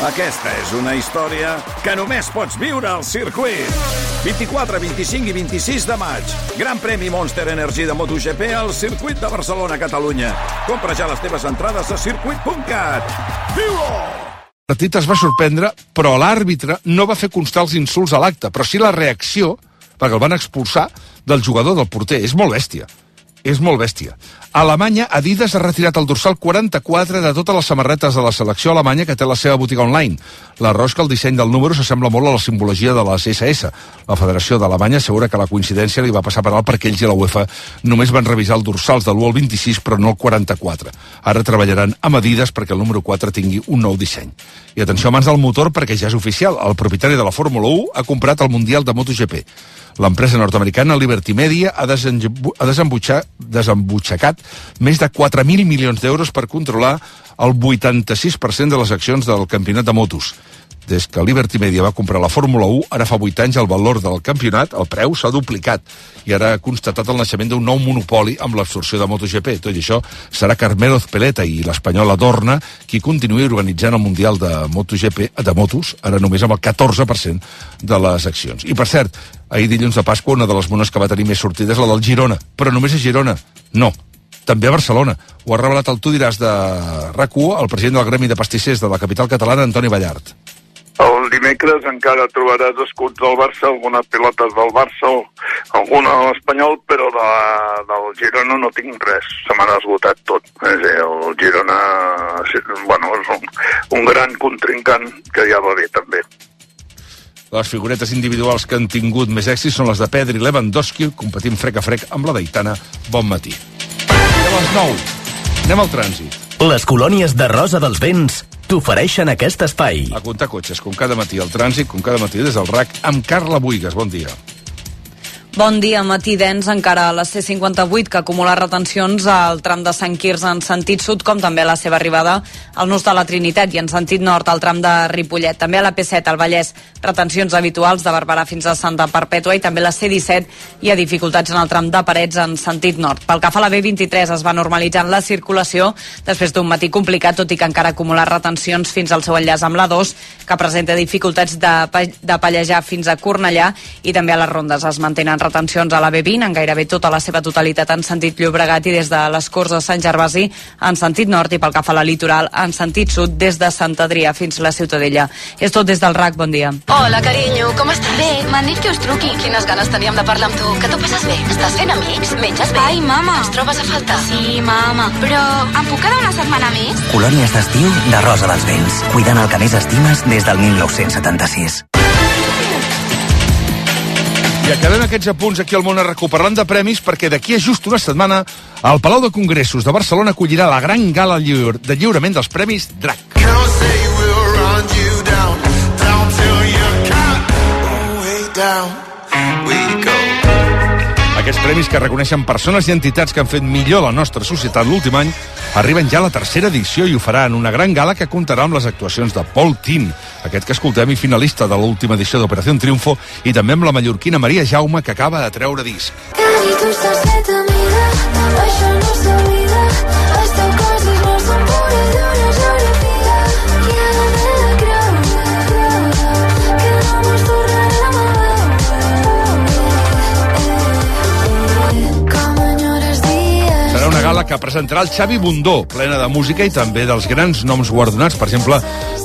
Aquesta és una història que només pots viure al circuit. 24, 25 i 26 de maig. Gran premi Monster Energy de MotoGP al circuit de Barcelona, Catalunya. Compra ja les teves entrades a circuit.cat. Viu-ho! El partit es va sorprendre, però l'àrbitre no va fer constar els insults a l'acte, però sí la reacció, perquè el van expulsar, del jugador del porter. És molt bèstia. És molt bèstia. A Alemanya, Adidas ha retirat el dorsal 44 de totes les samarretes de la selecció alemanya que té la seva botiga online. La raó és que el disseny del número s'assembla molt a la simbologia de les SS. La Federació d'Alemanya assegura que la coincidència li va passar per alt perquè ells i la UEFA només van revisar els dorsals de l'1 al 26, però no el 44. Ara treballaran amb Adidas perquè el número 4 tingui un nou disseny. I atenció a mans del motor perquè ja és oficial. El propietari de la Fórmula 1 ha comprat el Mundial de MotoGP. L'empresa nord-americana Liberty Media ha desembutxacat més de 4.000 milions d'euros per controlar el 86% de les accions del campionat de motos. Des que Liberty Media va comprar la Fórmula 1, ara fa 8 anys el valor del campionat, el preu, s'ha duplicat i ara ha constatat el naixement d'un nou monopoli amb l'absorció de MotoGP. Tot i això, serà Carmelo Ezpeleta i l'espanyol Adorna qui continuï organitzant el Mundial de MotoGP, de motos, ara només amb el 14% de les accions. I per cert, ahir dilluns de Pasqua una de les mones que va tenir més sortides la del Girona, però només a Girona. No, també a Barcelona. Ho ha revelat el Tu diràs de RAC1 el president del Gremi de Pastissers de la capital catalana, Antoni Ballart. El dimecres encara trobaràs escuts del Barça, algunes pilotes del Barça, alguna de l'Espanyol, però del Girona no tinc res. Se m'han esgotat tot. És a dir, el Girona bueno, és un gran contrincant que ja va bé, també. Les figuretes individuals que han tingut més èxit són les de Pedri i Lewandowski, competint frec a frec amb la d'Aitana. Bon matí. I a les 9, anem al trànsit. Les colònies de Rosa dels Vents t'ofereixen aquest espai. A comptar cotxes, com cada matí al trànsit, com cada matí des del RAC, amb Carla Buigas. Bon dia. Bon dia, matí dens encara a la C58, que acumula retencions al tram de Sant Quirze en sentit sud, com també a la seva arribada al nus de la Trinitat i en sentit nord al tram de Ripollet. També a la P7 al Vallès, retencions habituals de Barberà fins a Santa Perpètua, i també a la C17 hi ha dificultats en el tram de Parets en sentit nord. Pel que fa a la B23 es va normalitzant la circulació després d'un matí complicat, tot i que encara acumula retencions fins al seu enllaç amb la 2, que presenta dificultats de Pallejà fins a Cornellà, i també a les rondes es mantenen retencions a la B20 en gairebé tota la seva totalitat en sentit Llobregat i des de les Corts de Sant Gervasi en sentit nord, i pel que fa a la litoral en sentit sud des de Sant Adrià fins a la Ciutadella. És tot des del RAC, bon dia. Hola, carinyo, com estàs? Bé, m'han dit que us truqui. Quines ganes teníem de parlar amb tu. Que tu passes bé? Estàs fent amics? Menges bé? Ai, mama. Ens trobes a faltar? Sí, mama. Però em puc quedar una setmana més? Colònies d'estiu de Rosa dels Vents. Cuidant el que més estimes des del 1976. I acabem aquests apunts aquí al Món a recuperant de premis perquè d'aquí a just una setmana el Palau de Congressos de Barcelona acollirà la gran gala de lliurament dels Premis DRAC. Aquests premis, que reconeixen persones i entitats que han fet millor la nostra societat l'últim any, arriben ja a la tercera edició i ho faran una gran gala que comptarà amb les actuacions de Paul Tin, aquest que escoltem i finalista de l'última edició d'Operació Triunfo, i també amb la mallorquina Maria Jaume, que acaba de treure disc. Gala que presentarà el Xavi Bundó, plena de música i també dels grans noms guardonats. Per exemple,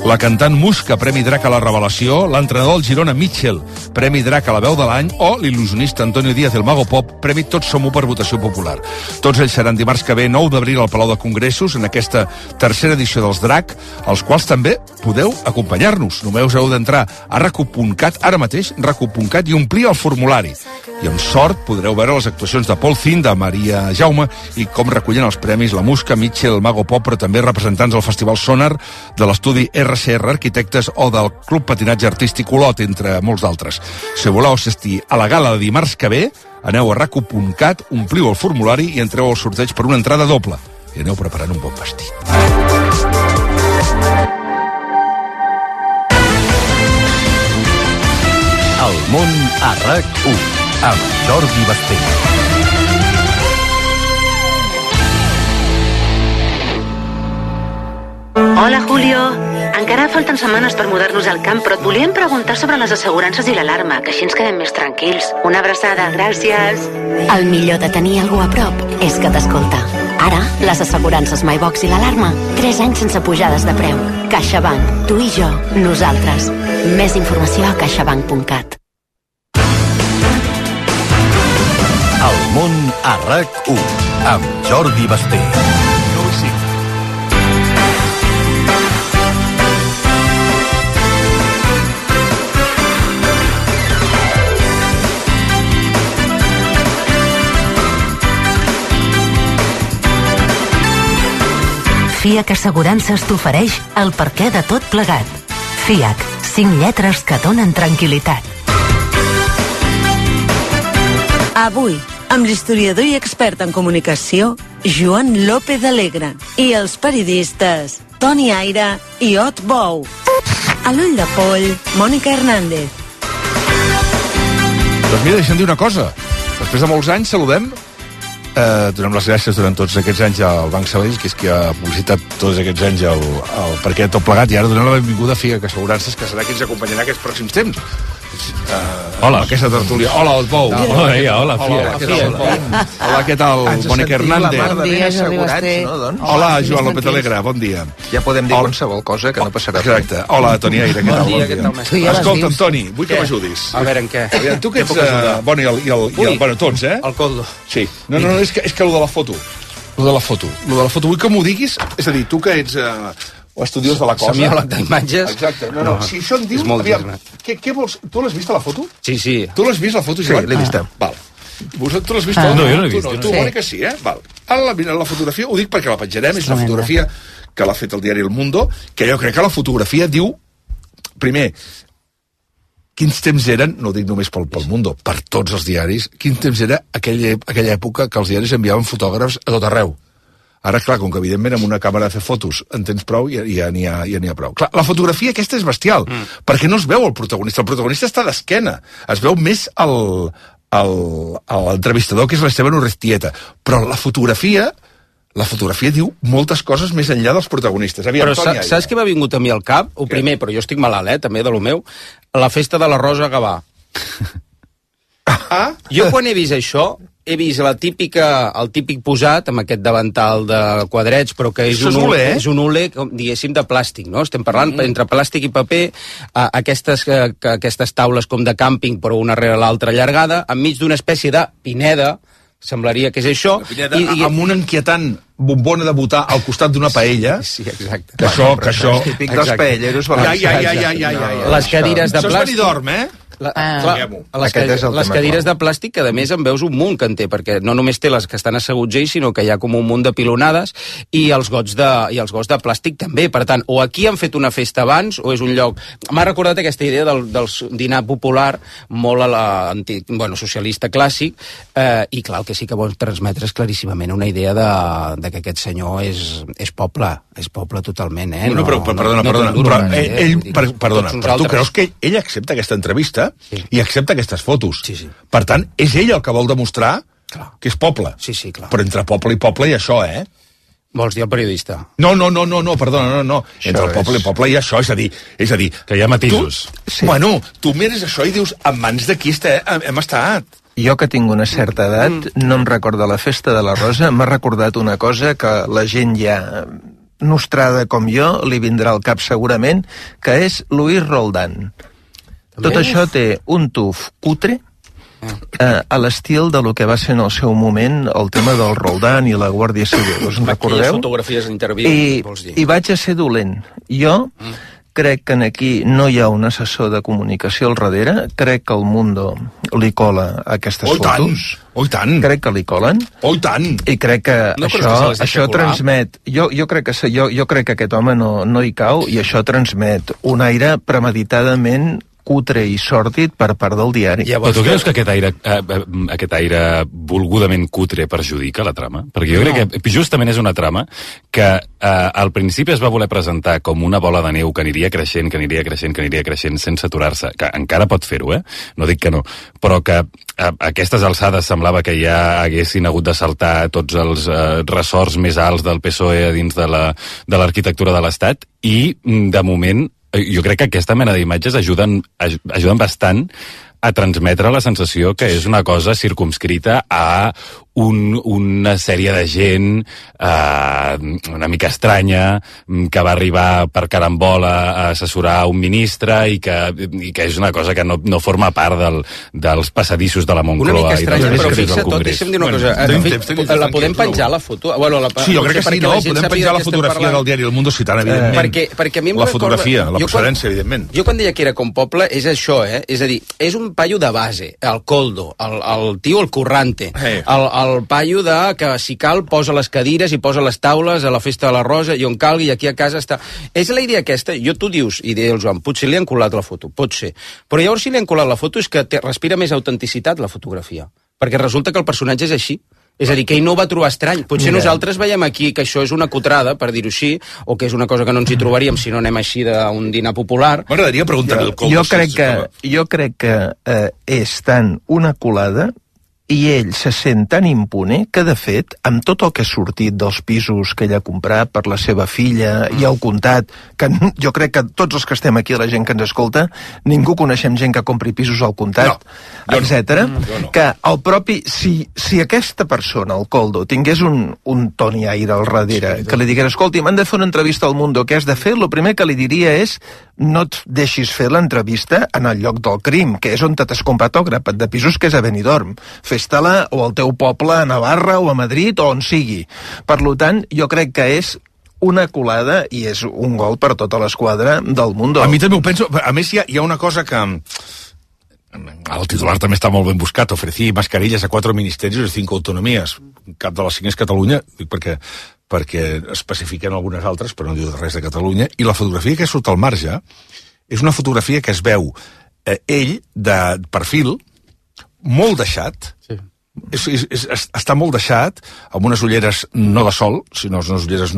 la cantant Muska, Premi DRAC a la Revelació, l'entrenador del Girona Mitchell, Premi DRAC a la veu de l'any, o l'il·lusionista Antonio Díaz, el Mago Pop, Premi Tots som u per votació popular. Tots ells seran dimarts que ve, 9 d'abril, al Palau de Congressos, en aquesta tercera edició dels DRAC, als quals també podeu acompanyar-nos. Només heu d'entrar a racu.cat, ara mateix, racu.cat, i omplir el formulari. I amb sort podreu veure les actuacions de Paul Zin, de Maria Jaume, i com recullen els premis la Muska, Mitchell, el Mago Pop, però també representants del Festival Sonar, de l'estudi RCR Arquitectes o del Club Patinatge Artístic Olot, entre molts d'altres. Si voleu assistir a la gala de dimarts que ve, aneu a racu.cat, ompliu el formulari i entreu al sorteig per una entrada doble. I aneu preparant un bon vestit. El món a RAC1 amb Jordi Basté. Hola, Julio. encara falten setmanes per mudar-nos al camp, però et volíem preguntar sobre les assegurances i l'alarma, que així ens quedem més tranquils. Una abraçada, gràcies. El millor de tenir algú a prop és que t'escolta. Ara, les assegurances MyBox i l'alarma, 3 anys sense pujades de preu. CaixaBank, tu i jo, nosaltres. Més informació a caixabank.cat. El món a RAC1 amb Jordi Basté. FIAC Assegurances t'ofereix el perquè de tot plegat. FIAC, 5 lletres que donen tranquil·litat. Avui, amb l'historiador i expert en comunicació, Joan López Alegre, i els periodistes Toni Aire i Ot Bou. A l'ull de poll, Mònica Hernández. Doncs mira, deixa'm dir una cosa. Després de molts anys saludem, donem les gràcies durant tots aquests anys al Banc Sabadell, que és qui ha publicitat tots aquests anys el perquè de tot plegat, i ara donem la benvinguda a FIAC Assegurances, que serà qui ens acompanyarà aquests pròxims temps. Hola. Aquesta tertúlia. Hola, Ot Bou. Hola, Hola, què tal? Mònica Hernández. Bon dia, Jordi Basté. Hola, Joan López Alegre, bon dia. Ja podem dir qualsevol cosa que no passarà. Exacte. Hola, Toni Aire, què tal? Bon dia. Escolta'm, Toni, vull que m'ajudis. A veure, en què? Tu que ets... Bueno, tots, eh? El coldo. Sí. No, és que lo de la foto. Lo de la foto, vull que m'ho diguis. És a dir, tu que ets... estudiós de la cosa. Semiòleg d'imatges. Exacte. No. Si això en diu... Aviam, què vols? Tu l'has vist, la foto? Sí. Tu l'has vist, la foto, Joan? Sí, l'he vista. Val. Tu l'has vist? No, jo no l'he vist. Tu, Mònica, sí, eh? Val. Ara la fotografia, ho dic perquè la penjarem, és una fotografia que l'ha fet el diari El Mundo, que jo crec que la fotografia diu, primer, quins temps eren, no ho dic només pel Mundo, per tots els diaris, quins temps era aquella època que els diaris enviaven fotògrafs a tot arreu. Ara, clar, com que evidentment amb una càmera de fer fotos en tens prou, ja n'hi ha prou. Clar, la fotografia aquesta és bestial, perquè no es veu el protagonista. El protagonista està d'esquena. Es veu més l'entrevistador, que és l'Esteban Urrestieta. Però la fotografia diu moltes coses més enllà dels protagonistes. Però saps què m'ha vingut a mi al cap? O primer, però jo estic malalt, també, de lo meu, la festa de la Rosa Gavà. Jo quan he vist això, he vist el típic posat amb aquest davantal de quadrets, però que és un hule, diguéssim, de plàstic, no? Estem parlant entre plàstic i paper, aquestes taules com de càmping, però una rere l'altra allargada, enmig d'una espècie de pineda, semblaria que és això. Amb una inquietant bombona de botar al costat d'una paella. Sí, exacte. Que això... Típic dels paelleros. Les cadires de plàstic... Això és Benidorm, eh? Les cadires de plàstic, que a més en veus un munt que en té, perquè no només té les que estan asseguts ells, sinó que hi ha com un munt de pilonades, i els gots de plàstic també. Per tant, o aquí han fet una festa abans, o és un lloc... M'ha recordat aquesta idea del dinar popular, molt socialista clàssic, i clar, el que sí que vol transmetre és claríssimament una idea de que aquest senyor és poble totalment, eh? No, però perdona, però tu creus que ell accepta aquesta entrevista i accepta aquestes fotos? Sí. Per tant, és ell el que vol demostrar que és poble. Sí, clar. Però entre poble i poble hi ha això, eh? Vols dir el periodista? No, perdona, no. Entre el poble i poble hi ha això, és a dir... Que hi ha matisos. Bueno, tu mires això i dius, en mans de qui hem estat? Jo, que tinc una certa edat, no em recorda la festa de la Rosa, m'ha recordat una cosa que la gent ja nostrada com jo li vindrà al cap segurament, que és Luis Roldán. Tot això té un tuf cutre a l'estil de lo que va ser en el seu moment el tema del Roldán i la Guàrdia Civil. Us en recordeu? Aquelles fotografies d'interviu, vols dir. I vaig a ser dolent. Jo crec que aquí no hi ha un assessor de comunicació al darrere. Crec que el Mundo li cola aquestes fotos. I tant! Crec que li colen. I tant! I crec que això transmet... Jo crec que aquest home no hi cau, i això transmet un aire premeditadament cutre i sòrdid per part del diari. Però tu creus que aquest aire volgudament cutre perjudica la trama? Perquè jo crec que justament és una trama que al principi es va voler presentar com una bola de neu que aniria creixent, sense aturar-se, que encara pot fer-ho, no dic que no, però que a aquestes alçades semblava que ja haguessin hagut de saltar tots els ressorts més alts del PSOE dins de l'arquitectura de l'Estat, i de moment jo crec que aquesta mena d'imatges ajuden bastant a transmetre la sensació que és una cosa circumscrita a una sèrie de gent una mica estranya que va arribar per carambola a assessorar un ministre i que és una cosa que no forma part dels passadissos de la Moncloa. Una mica estranya, però fixa't tot, deixa'm dir una cosa. La podem penjar, la foto? Sí, jo crec que sí, no? Podem penjar la fotografia del diari El Mundo Citant, evidentment. Perquè a mi la fotografia, la procedència, evidentment. Jo quan deia que era com poble, és això, és a dir, és un paio de base, el coldo, el tio el currante, el paio de que si cal posa les cadires i posa les taules a la festa de la Rosa i on calgui, aquí a casa està. És la idea aquesta, tu dius, i deia el Joan, potser li han colat la foto, pot ser. Però llavors si li han colat la foto és que respira més autenticitat la fotografia, perquè resulta que el personatge és així. És a dir, que ell no ho va trobar estrany. Potser nosaltres veiem aquí que això és una cotrada, per dir-ho així, o que és una cosa que no ens hi trobaríem si no anem així d'un dinar popular. M'agradaria preguntar-li el Coldo. Jo crec que és tant una colada i ell se sent tan impune que, de fet, amb tot el que ha sortit dels pisos que ell ha comprat per la seva filla i el comptat, que jo crec que tots els que estem aquí, la gent que ens escolta, ningú coneixem gent que compri pisos al comptat, etc. Que el propi... Si aquesta persona, el Coldo, tingués un Toni Aire al darrere, que li digués, escolti, m'han de fer una entrevista al Mundo, què has de fer? El primer que li diria és no et deixis fer l'entrevista en el lloc del crim, que és on t'has comprat el grapat de pisos, que és a Benidorm. Fes-te-la o al teu poble, a Navarra o a Madrid o on sigui. Per tant, jo crec que és una colada i és un gol per tota l'esquadra del Mundo. A mi també ho penso. A més, hi ha una cosa que... El titular també està molt ben buscat. Ofrecí mascarillas a 4 ministerios de 5 autonomías. Cap de les 5 és Catalunya, dic perquè especifiquen algunes altres, però no diu res de Catalunya, i la fotografia que surt al marge és una fotografia que es veu ell de perfil, molt deixat, està molt deixat, amb unes ulleres no de sol, sinó unes ulleres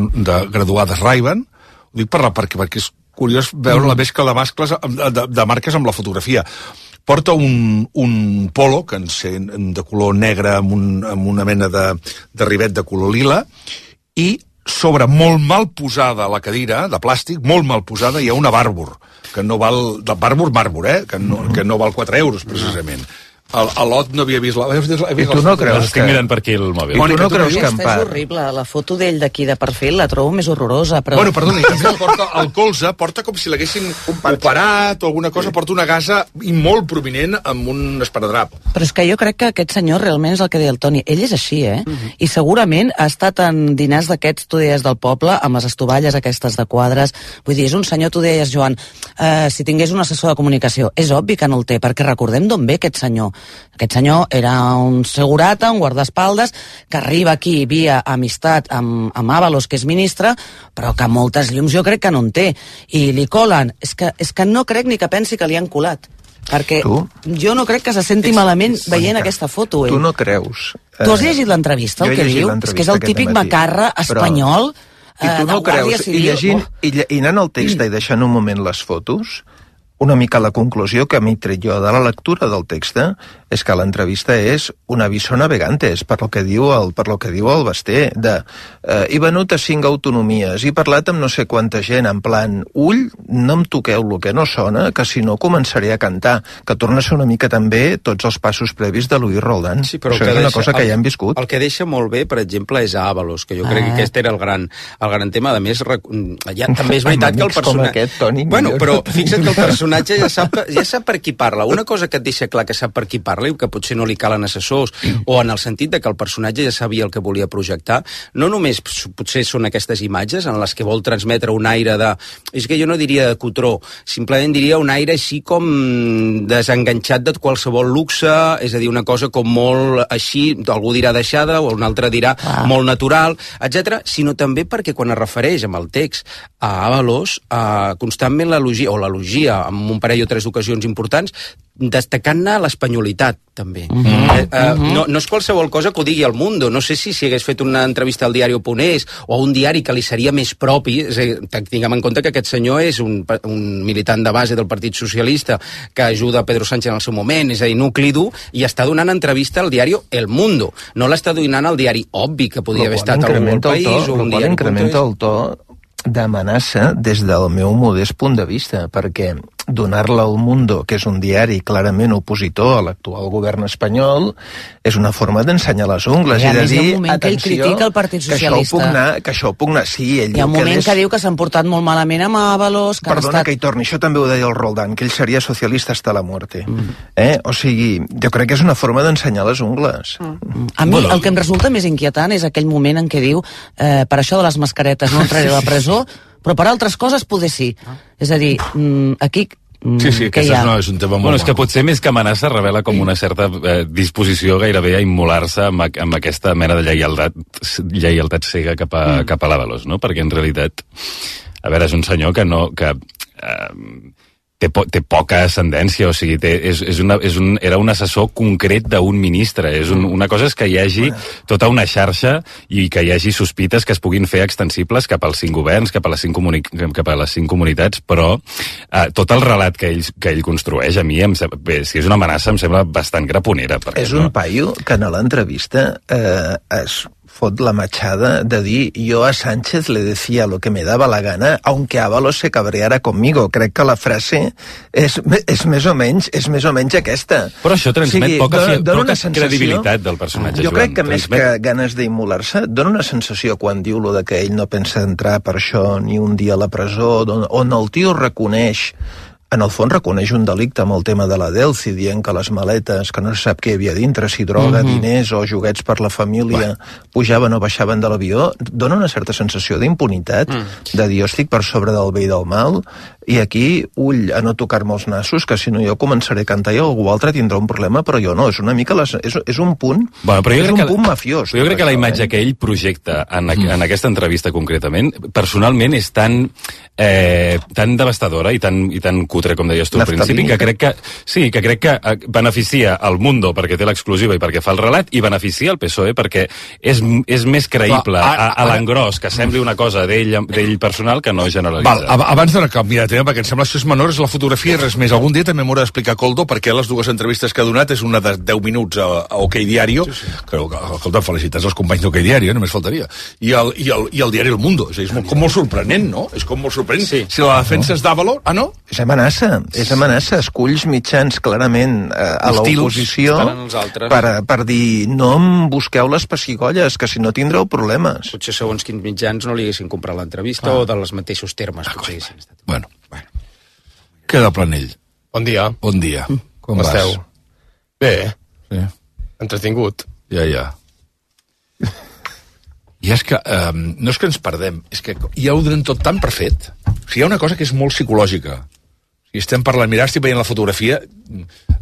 graduades Ray-Ban, ho dic perquè és curiós veure la mescla de mascles de marques amb la fotografia. Porta un polo que de color negre amb una mena de rivet de color lila, i sobre molt mal posada la cadira, de plàstic, molt mal posada, hi ha una Barbour, que no val... de Barbour, que no val 4 euros, precisament. A l'Ot no havia vist la... I tu no creus que... Estic mirant per aquí el mòbil. Mònica, tu no creus que en part... És horrible, la foto d'ell d'aquí de perfil la trobo més horrorosa, però... Bueno, perdona, el colze porta com si l'haguessin operat o alguna cosa, porta una gasa molt prominent amb un esparadrap. Però és que jo crec que aquest senyor realment és el que deia el Toni. Ell és així, I segurament ha estat en dinars d'aquests, tu deies, del poble, amb les estovalles aquestes de quadres. Vull dir, és un senyor, tu deies, Joan, si tingués un assessor de comunicació. És obvi que no el té, perquè recordem d'on ve aquest senyor. Aquest senyor era un segurata, un guardaespaldes, que arriba aquí via amistat amb Ábalos, que és ministre, però que moltes llums jo crec que no en té. I li colen. És que no crec ni que pensi que li han colat. Perquè jo no crec que se senti malament veient aquesta foto. Tu no creus. Tu has llegit l'entrevista, el que diu? És que és el típic macarra espanyol i tu no creus, i anant al text i deixant un moment les fotos, una mica la conclusió que a mi tret jo de la lectura del text és que l'entrevista és una aviso navegantes, per lo que diu el Basté, he venut a 5 autonomies, he parlat amb no sé quanta gent, en plan, no em toqueu el que no sona, que si no començaré a cantar, que torna a ser una mica també tots els passos previs de Luis Roldán. Sí, però això és una cosa que ja hem viscut. El que deixa molt bé, per exemple, és a Ábalos, que jo crec que aquest era el gran tema. A més, també és veritat que el personatge... Aquest, Toni, bueno, però fixa't que el personatge ja sap per qui parla. Una cosa que et deixa clar que sap per qui parla parla i que potser no li calen assessors, o en el sentit de que el personatge ja sabia el que volia projectar. No només potser són aquestes imatges en les que vol transmetre un aire de... És que jo no diria de cotró, simplement diria un aire així com desenganxat de qualsevol luxe, és a dir, una cosa com molt així, algú dirà deixada, o un altre dirà molt natural, etc. Sinó també perquè quan es refereix amb el text a Ábalos, constantment l'elogia en un parell o tres ocasions importants, destacant-ne l'espanyolitat, també. No és qualsevol cosa que ho digui al Mundo. No sé si hagués fet una entrevista al diari Oponés o a un diari que li seria més propi. Tinguem en compte que aquest senyor és un militant de base del Partit Socialista que ajuda a Pedro Sánchez en el seu moment, és a dir, nucli dur, i està donant entrevista al diari El Mundo. No l'està donant al diari Obvi, que podria haver estat algun país o un diari... Incrementa el to d'amenaça des del meu modest punt de vista, perquè donar-la al Mundo, que és un diari clarament opositor a l'actual govern espanyol, és una forma d'ensenyar les ungles i de dir, que ell critica el Partit Socialista. Que això puc anar... Sí, ell hi ha un moment que diu que s'han portat molt malament amb Ábalos... Perdona que hi torni, això també ho deia el Roldán, que ell seria socialista hasta la muerte. O sigui, jo crec que és una forma d'ensenyar les ungles. A mi el que em resulta més inquietant és aquell moment en què diu per això de les mascaretes no entraré a la presó, però per altres coses poder sí. És a dir, aquí... Sí, aquest no és un tema molt... Bueno, és que potser més que amenaça revela com una certa disposició gairebé a immolar-se amb aquesta mena de lleialtat cega cap a l'Ábalos, no? Perquè en realitat, a veure, és un senyor que té poca ascendència, o sigui, era un assessor concret d'un ministre. Una cosa és que hi hagi tota una xarxa i que hi hagi sospites que es puguin fer extensibles cap als 5 governs, cap a les 5 comunitats, però tot el relat que ell construeix, a mi, si és una amenaça, em sembla bastant graponera. És un paio que en l'entrevista es fot la machada de dir yo a Sánchez le decía lo que me daba la gana aunque Ábalos se cabreara conmigo. Crec que la frase és més o menys aquesta. Però això transmet poca credibilitat del personatge. Jo crec que més que ganes d'immolar-se, dona una sensació quan diu lo de que ell no pensa entrar per això ni un dia a la presó, on el tio reconeix, en el fons reconeix un delicte amb el tema de la Delci, dient que les maletes, que no se sap què hi havia dintre, si droga, diners o joguets per la família, pujaven o baixaven de l'avió, dona una certa sensació d'impunitat, de dir, jo estic per sobre del bé i del mal, i aquí, ull a no tocar-me els nassos, que si no jo començaré a cantar i algú altre tindrà un problema, però jo no, és una mica és un punt, punt mafiós. Jo crec que la imatge que ell projecta en aquesta entrevista concretament, personalment és tan devastadora i tan cutre, com deies tu al principi, que crec que beneficia el Mundo perquè té l'exclusiva i perquè fa el relat, i beneficia el PSOE perquè és més creïble a l'engròs que sembli una cosa d'ell personal que no generalitzar. Abans de canviar de tema, perquè em sembla que això és menor, és la fotografia i res més. Algun dia també m'haurà d'explicar Coldo perquè les dues entrevistes que ha donat és una de 10 minuts a OK Diario, que escolta, felicitats als companys d'OK Diario, només faltaria, i el diari El Mundo. És molt sorprenent, no? És com molt sorprenent. Si la defensa és d'Ábalos... Ah, no? És amenaça. Esculls mitjans clarament a l'oposició per dir no em busqueu les pessigolles, que si no tindreu problemes. Potser segons quins mitjans no li haguessin comprat l'entrevista o dels mateixos termes. Bueno. Queda Planell. Bon dia. Bon dia. Com esteu? Bé. Sí. Entretingut. Ja. I és que, no és que ens perdem, és que ja ho donem tot tan per fet. O sigui, hi ha una cosa que és molt psicològica. Si estem parlant, estic veient la fotografia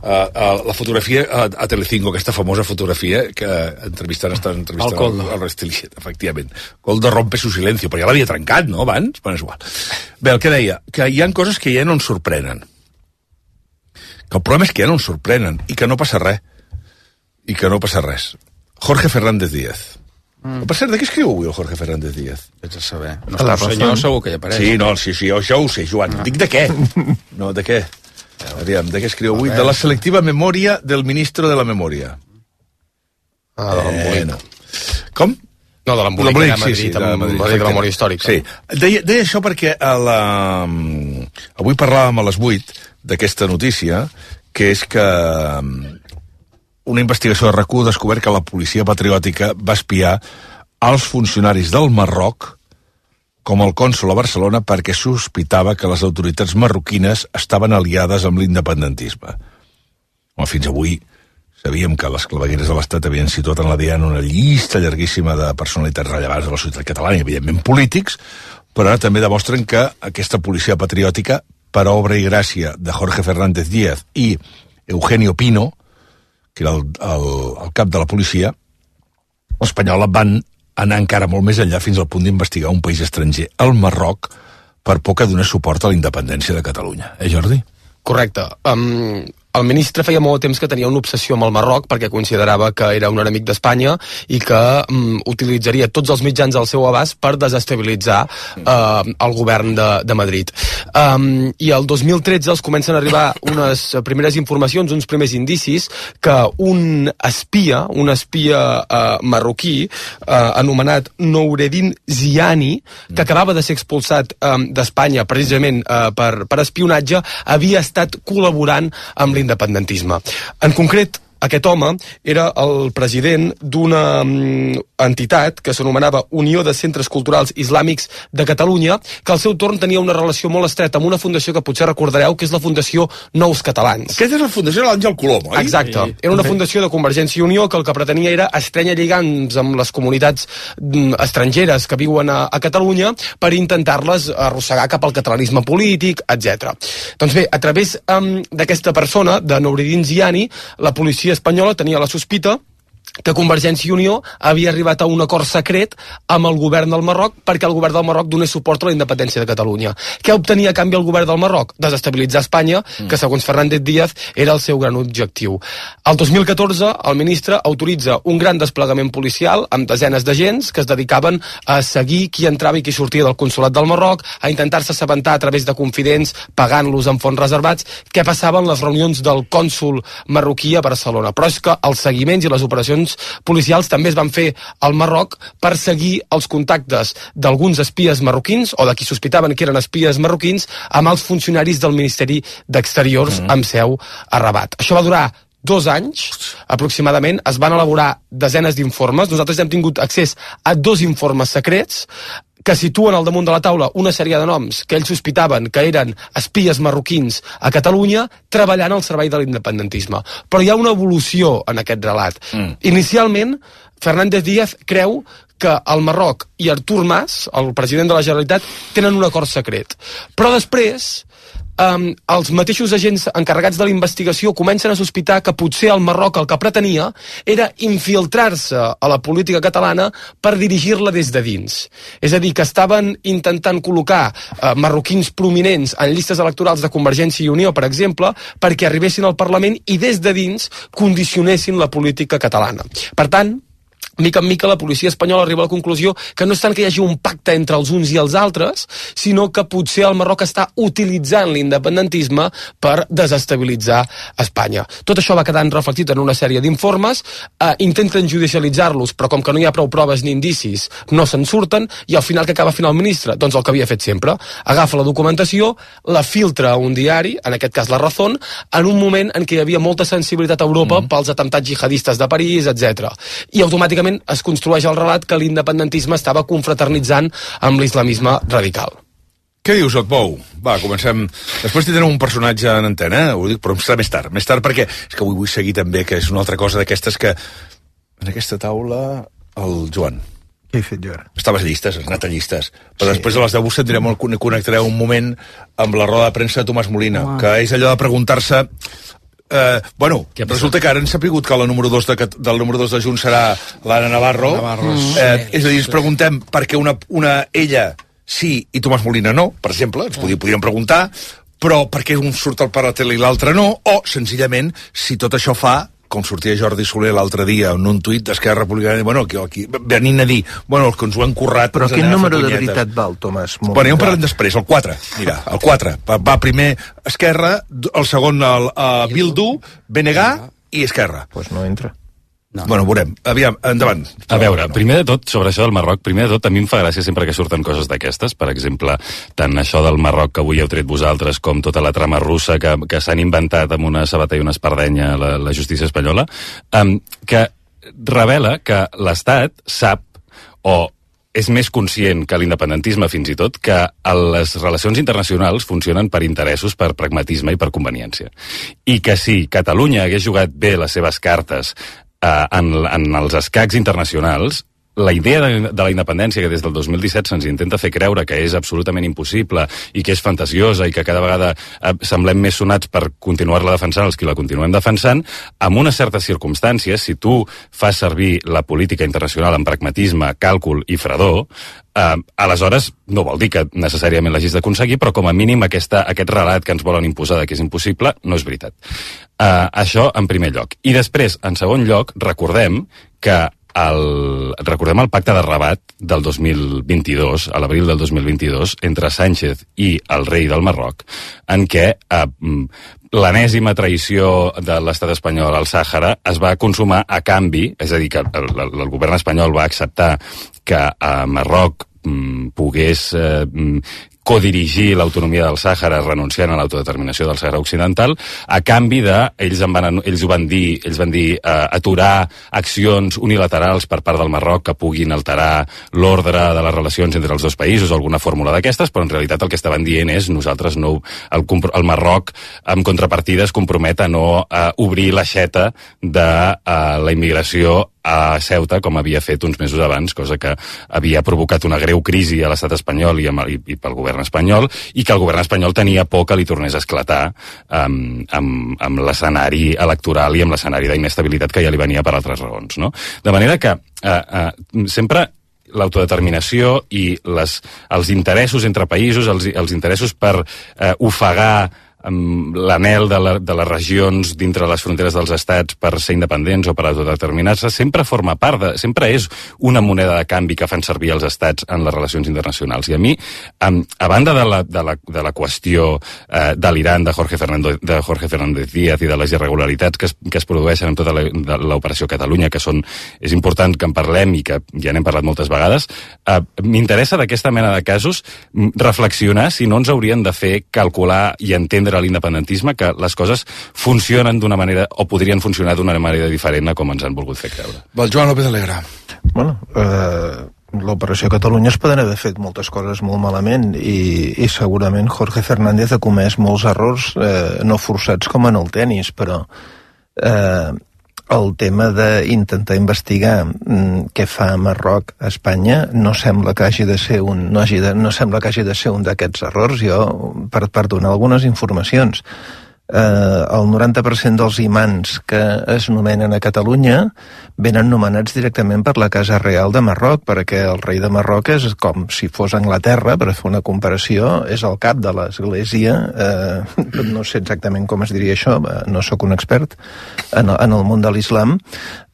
a Telecinco, aquesta famosa fotografia que entrevistant el Restiliet, efectivament. Coldo rompe su silencio, però ja l'havia trencat, no, abans? Bueno, és igual. Bé, el que deia, que hi ha coses que ja no ens sorprenen. Que el problema és que ja no ens sorprenen i que no passa res. Jorge Fernández Díaz. Per cert, de què escriu avui el Jorge Fernández Díaz? Vaig a saber. No el senyor segur que hi apareix. Sí, això ho sé, Joan. Dic de què? No, de què? Aviam, de què escriu avui? De la selectiva memòria del ministro de la memòria. De l'embolic. Com? No, de l'embolic de Madrid, de la memòria històrica. Sí. Deia això perquè avui parlàvem a les 8 d'aquesta notícia, que és que una investigació de RAC1 ha descobert que la policia patriòtica va espiar als funcionaris del Marroc com el cònsol a Barcelona perquè sospitava que les autoritats marroquines estaven aliades amb l'independentisme. Fins avui Sabíem que les clavegueres de l'Estat havien situat en la Diana una llista llarguíssima de personalitats rellevants de la societat catalana i, evidentment, polítics, però ara també demostren que aquesta policia patriòtica, per obra i gràcia de Jorge Fernández Díaz i Eugenio Pino, que era el cap de la policia espanyola, van anar encara molt més enllà fins al punt d'investigar un país estranger, el Marroc, per por que donés suport a la independència de Catalunya. Jordi? Correcte. El ministre feia molt temps que tenia una obsessió amb el Marroc perquè considerava que era un enemic d'Espanya i que utilitzaria tots els mitjans al seu abast per desestabilitzar el govern de Madrid. I el 2013 els comencen a arribar unes primeres informacions, uns primers indicis que un espia marroquí anomenat Noureddin Ziani, que acabava de ser expulsat d'Espanya precisament per espionatge, havia estat col·laborant amb l'independentisme. En concret, aquest home era el president d'una entitat que s'anomenava Unió de Centres Culturals Islàmics de Catalunya, que al seu torn tenia una relació molt estreta amb una fundació que potser recordareu, que és la Fundació Nous Catalans. Aquesta és la fundació de l'Àngel Colom, oi? Exacte. Era una fundació de Convergència i Unió que el que pretenia era estrènyer lligams amb les comunitats estrangeres que viuen a Catalunya per intentar-les arrossegar cap al catalanisme polític, etc. Doncs bé, a través d'aquesta persona, de Noureddin Ziani, la policia espanyola tenia la sospita que Convergència i Unió havia arribat a un acord secret amb el govern del Marroc perquè el govern del Marroc donés suport a la independència de Catalunya. Què obtenia a canvi el govern del Marroc? Desestabilitzar Espanya, que segons Fernández Díaz era el seu gran objectiu. El 2014 el ministre autoritza un gran desplegament policial amb desenes d'agents que es dedicaven a seguir qui entrava i qui sortia del consolat del Marroc, a intentar-se assabentar a través de confidents, pagant-los en fons reservats, què passava en les reunions del cònsol marroquí a Barcelona. Però és que els seguiments i les operacions policials també es van fer al Marroc per seguir els contactes d'alguns espies marroquins o de qui sospitaven que eren espies marroquins amb els funcionaris del Ministeri d'Exteriors amb seu a Rabat. Això va durar 2 anys, aproximadament. Es van elaborar desenes d'informes. Nosaltres hem tingut accés a 2 informes secrets que situen al damunt de la taula una sèrie de noms que ells sospitaven que eren espies marroquins a Catalunya treballant al servei de l'independentisme. Però hi ha una evolució en aquest relat. Inicialment, Fernández Díaz creu que el Marroc i Artur Mas, el president de la Generalitat, tenen un acord secret. Però després, els mateixos agents encarregats de la investigació comencen a sospitar que potser el Marroc el que pretenia era infiltrar-se a la política catalana per dirigir-la des de dins. És a dir, que estaven intentant col·locar marroquins prominents en llistes electorals de Convergència i Unió, per exemple, perquè arribessin al Parlament i des de dins condicionessin la política catalana. Per tant, mica en mica la policia espanyola arriba a la conclusió que no és tant que hi hagi un pacte entre els uns i els altres, sinó que potser el Marroc està utilitzant l'independentisme per desestabilitzar Espanya. Tot això va quedant reflectit en una sèrie d'informes, intenten judicialitzar-los, però com que no hi ha prou proves ni indicis, no se'n surten, i al final què acaba fent el ministre? Doncs el que havia fet sempre. Agafa la documentació, la filtra a un diari, en aquest cas La Razón, en un moment en què hi havia molta sensibilitat a Europa pels atemptats jihadistes de París, etc. I automàticament es construeix el relat que l'independentisme estava confraternitzant amb l'islamisme radical. Què dius, Otbou? Va, comencem. Després tindrem un personatge en antena, ho dic, però serà més tard, perquè és que avui vull seguir també, que és una altra cosa d'aquestes que en aquesta taula el Joan. Què he fet jo ara? Estaves a llistes, has anat a llistes. Però després de les 10 connectareu un moment amb la roda de premsa de Tomàs Molina, que és allò de preguntar-se... resulta que ara han sapigut que la número 2 del número 2 de Junts serà l'Anna Navarro. És a dir, ens preguntem per què ella sí i Tomàs Molina no, per exemple, ens podríem preguntar, però per què un surt al per la tele i l'altre no, o senzillament si tot això fa com sortia Jordi Soler l'altre dia en un tuit d'Esquerra Republicana, aquí venint a dir, els que ens ho han currat... Però quin número de veritat val, Tomàs? Ja en parlem després, el 4. Mira, el 4. Va primer Esquerra, el segon Bildu, BNG i Esquerra. Doncs no entra. No. Veurem. Aviam, endavant. A veure, primer de tot, sobre això del Marroc, a mi em fa gràcia sempre que surten coses d'aquestes, per exemple, tant això del Marroc que avui heu tret vosaltres, com tota la trama russa que s'han inventat amb una sabata i una espardenya la justícia espanyola, que revela que l'Estat sap o és més conscient que l'independentisme, fins i tot, que les relacions internacionals funcionen per interessos, per pragmatisme i per conveniència. I que si Catalunya hagués jugat bé les seves cartes en els escacs internacionals, la idea de la independència, que des del 2017 se'ns intenta fer creure que és absolutament impossible i que és fantasiosa i que cada vegada semblem més sonats per continuar-la defensant els qui la continuem defensant, amb unes certes circumstàncies, si tu fas servir la política internacional amb pragmatisme, càlcul i fredor, aleshores no vol dir que necessàriament l'hagis d'aconseguir, però com a mínim aquest relat que ens volen imposar que és impossible no és veritat. Això en primer lloc. I després, en segon lloc, recordem el pacte de Rabat del 2022, a l'abril del 2022, entre Sánchez i el rei del Marroc, en què l'enèsima traïció de l'estat espanyol al Sàhara es va consumar a canvi, és a dir, que el govern espanyol va acceptar que Marroc pogués codirigir l'autonomia del Sàhara renunciant a l'autodeterminació del Sàhara Occidental, a canvi ells van dir aturar accions unilaterals per part del Marroc que puguin alterar l'ordre de les relacions entre els dos països, alguna fórmula d'aquestes, però en realitat el que estaven dient és nosaltres no, el Marroc en contrapartida es compromet a no obrir l'aixeta de la immigració a Ceuta, com havia fet uns mesos abans, cosa que havia provocat una greu crisi a l'estat espanyol i pel govern espanyol, i que el govern espanyol tenia por que li tornés a esclatar amb l'escenari electoral i amb l'escenari d'inestabilitat que ja li venia per altres raons, no? De manera que sempre l'autodeterminació i els interessos entre països, els interessos per ofegar l'anhel de les regions dintre les fronteres dels estats per ser independents o per autodeterminar-se, sempre forma part sempre és una moneda de canvi que fan servir els estats en les relacions internacionals. I a mi, a banda de la qüestió de l'Iran, de Jorge Fernández Díaz i de les irregularitats que es produeixen en tota l'operació Catalunya, que és important que en parlem i que ja n'hem parlat moltes vegades, m'interessa d'aquesta mena de casos reflexionar si no ens haurien de fer calcular i entendre a l'independentisme que les coses funcionen d'una manera o podrien funcionar d'una manera diferent a com ens han volgut fer creure. Val, Joan López Alegre. Bueno, l'operació Catalunya es poden haver fet moltes coses molt malament i segurament Jorge Fernández ha comès molts errors no forçats com en el tenis, però el tema d'intentar investigar què fa Marroc a Espanya no sembla que hagi de ser no sembla que hagi de ser un d'aquests errors. Jo, per donar algunes informacions, el 90% dels imants que es nomenen a Catalunya venen nomenats directament per la Casa Real de Marroc, perquè el rei de Marroc és com si fos Anglaterra, per fer una comparació, és el cap de l'església, no sé exactament com es diria això, no sóc un expert en el món de l'islam,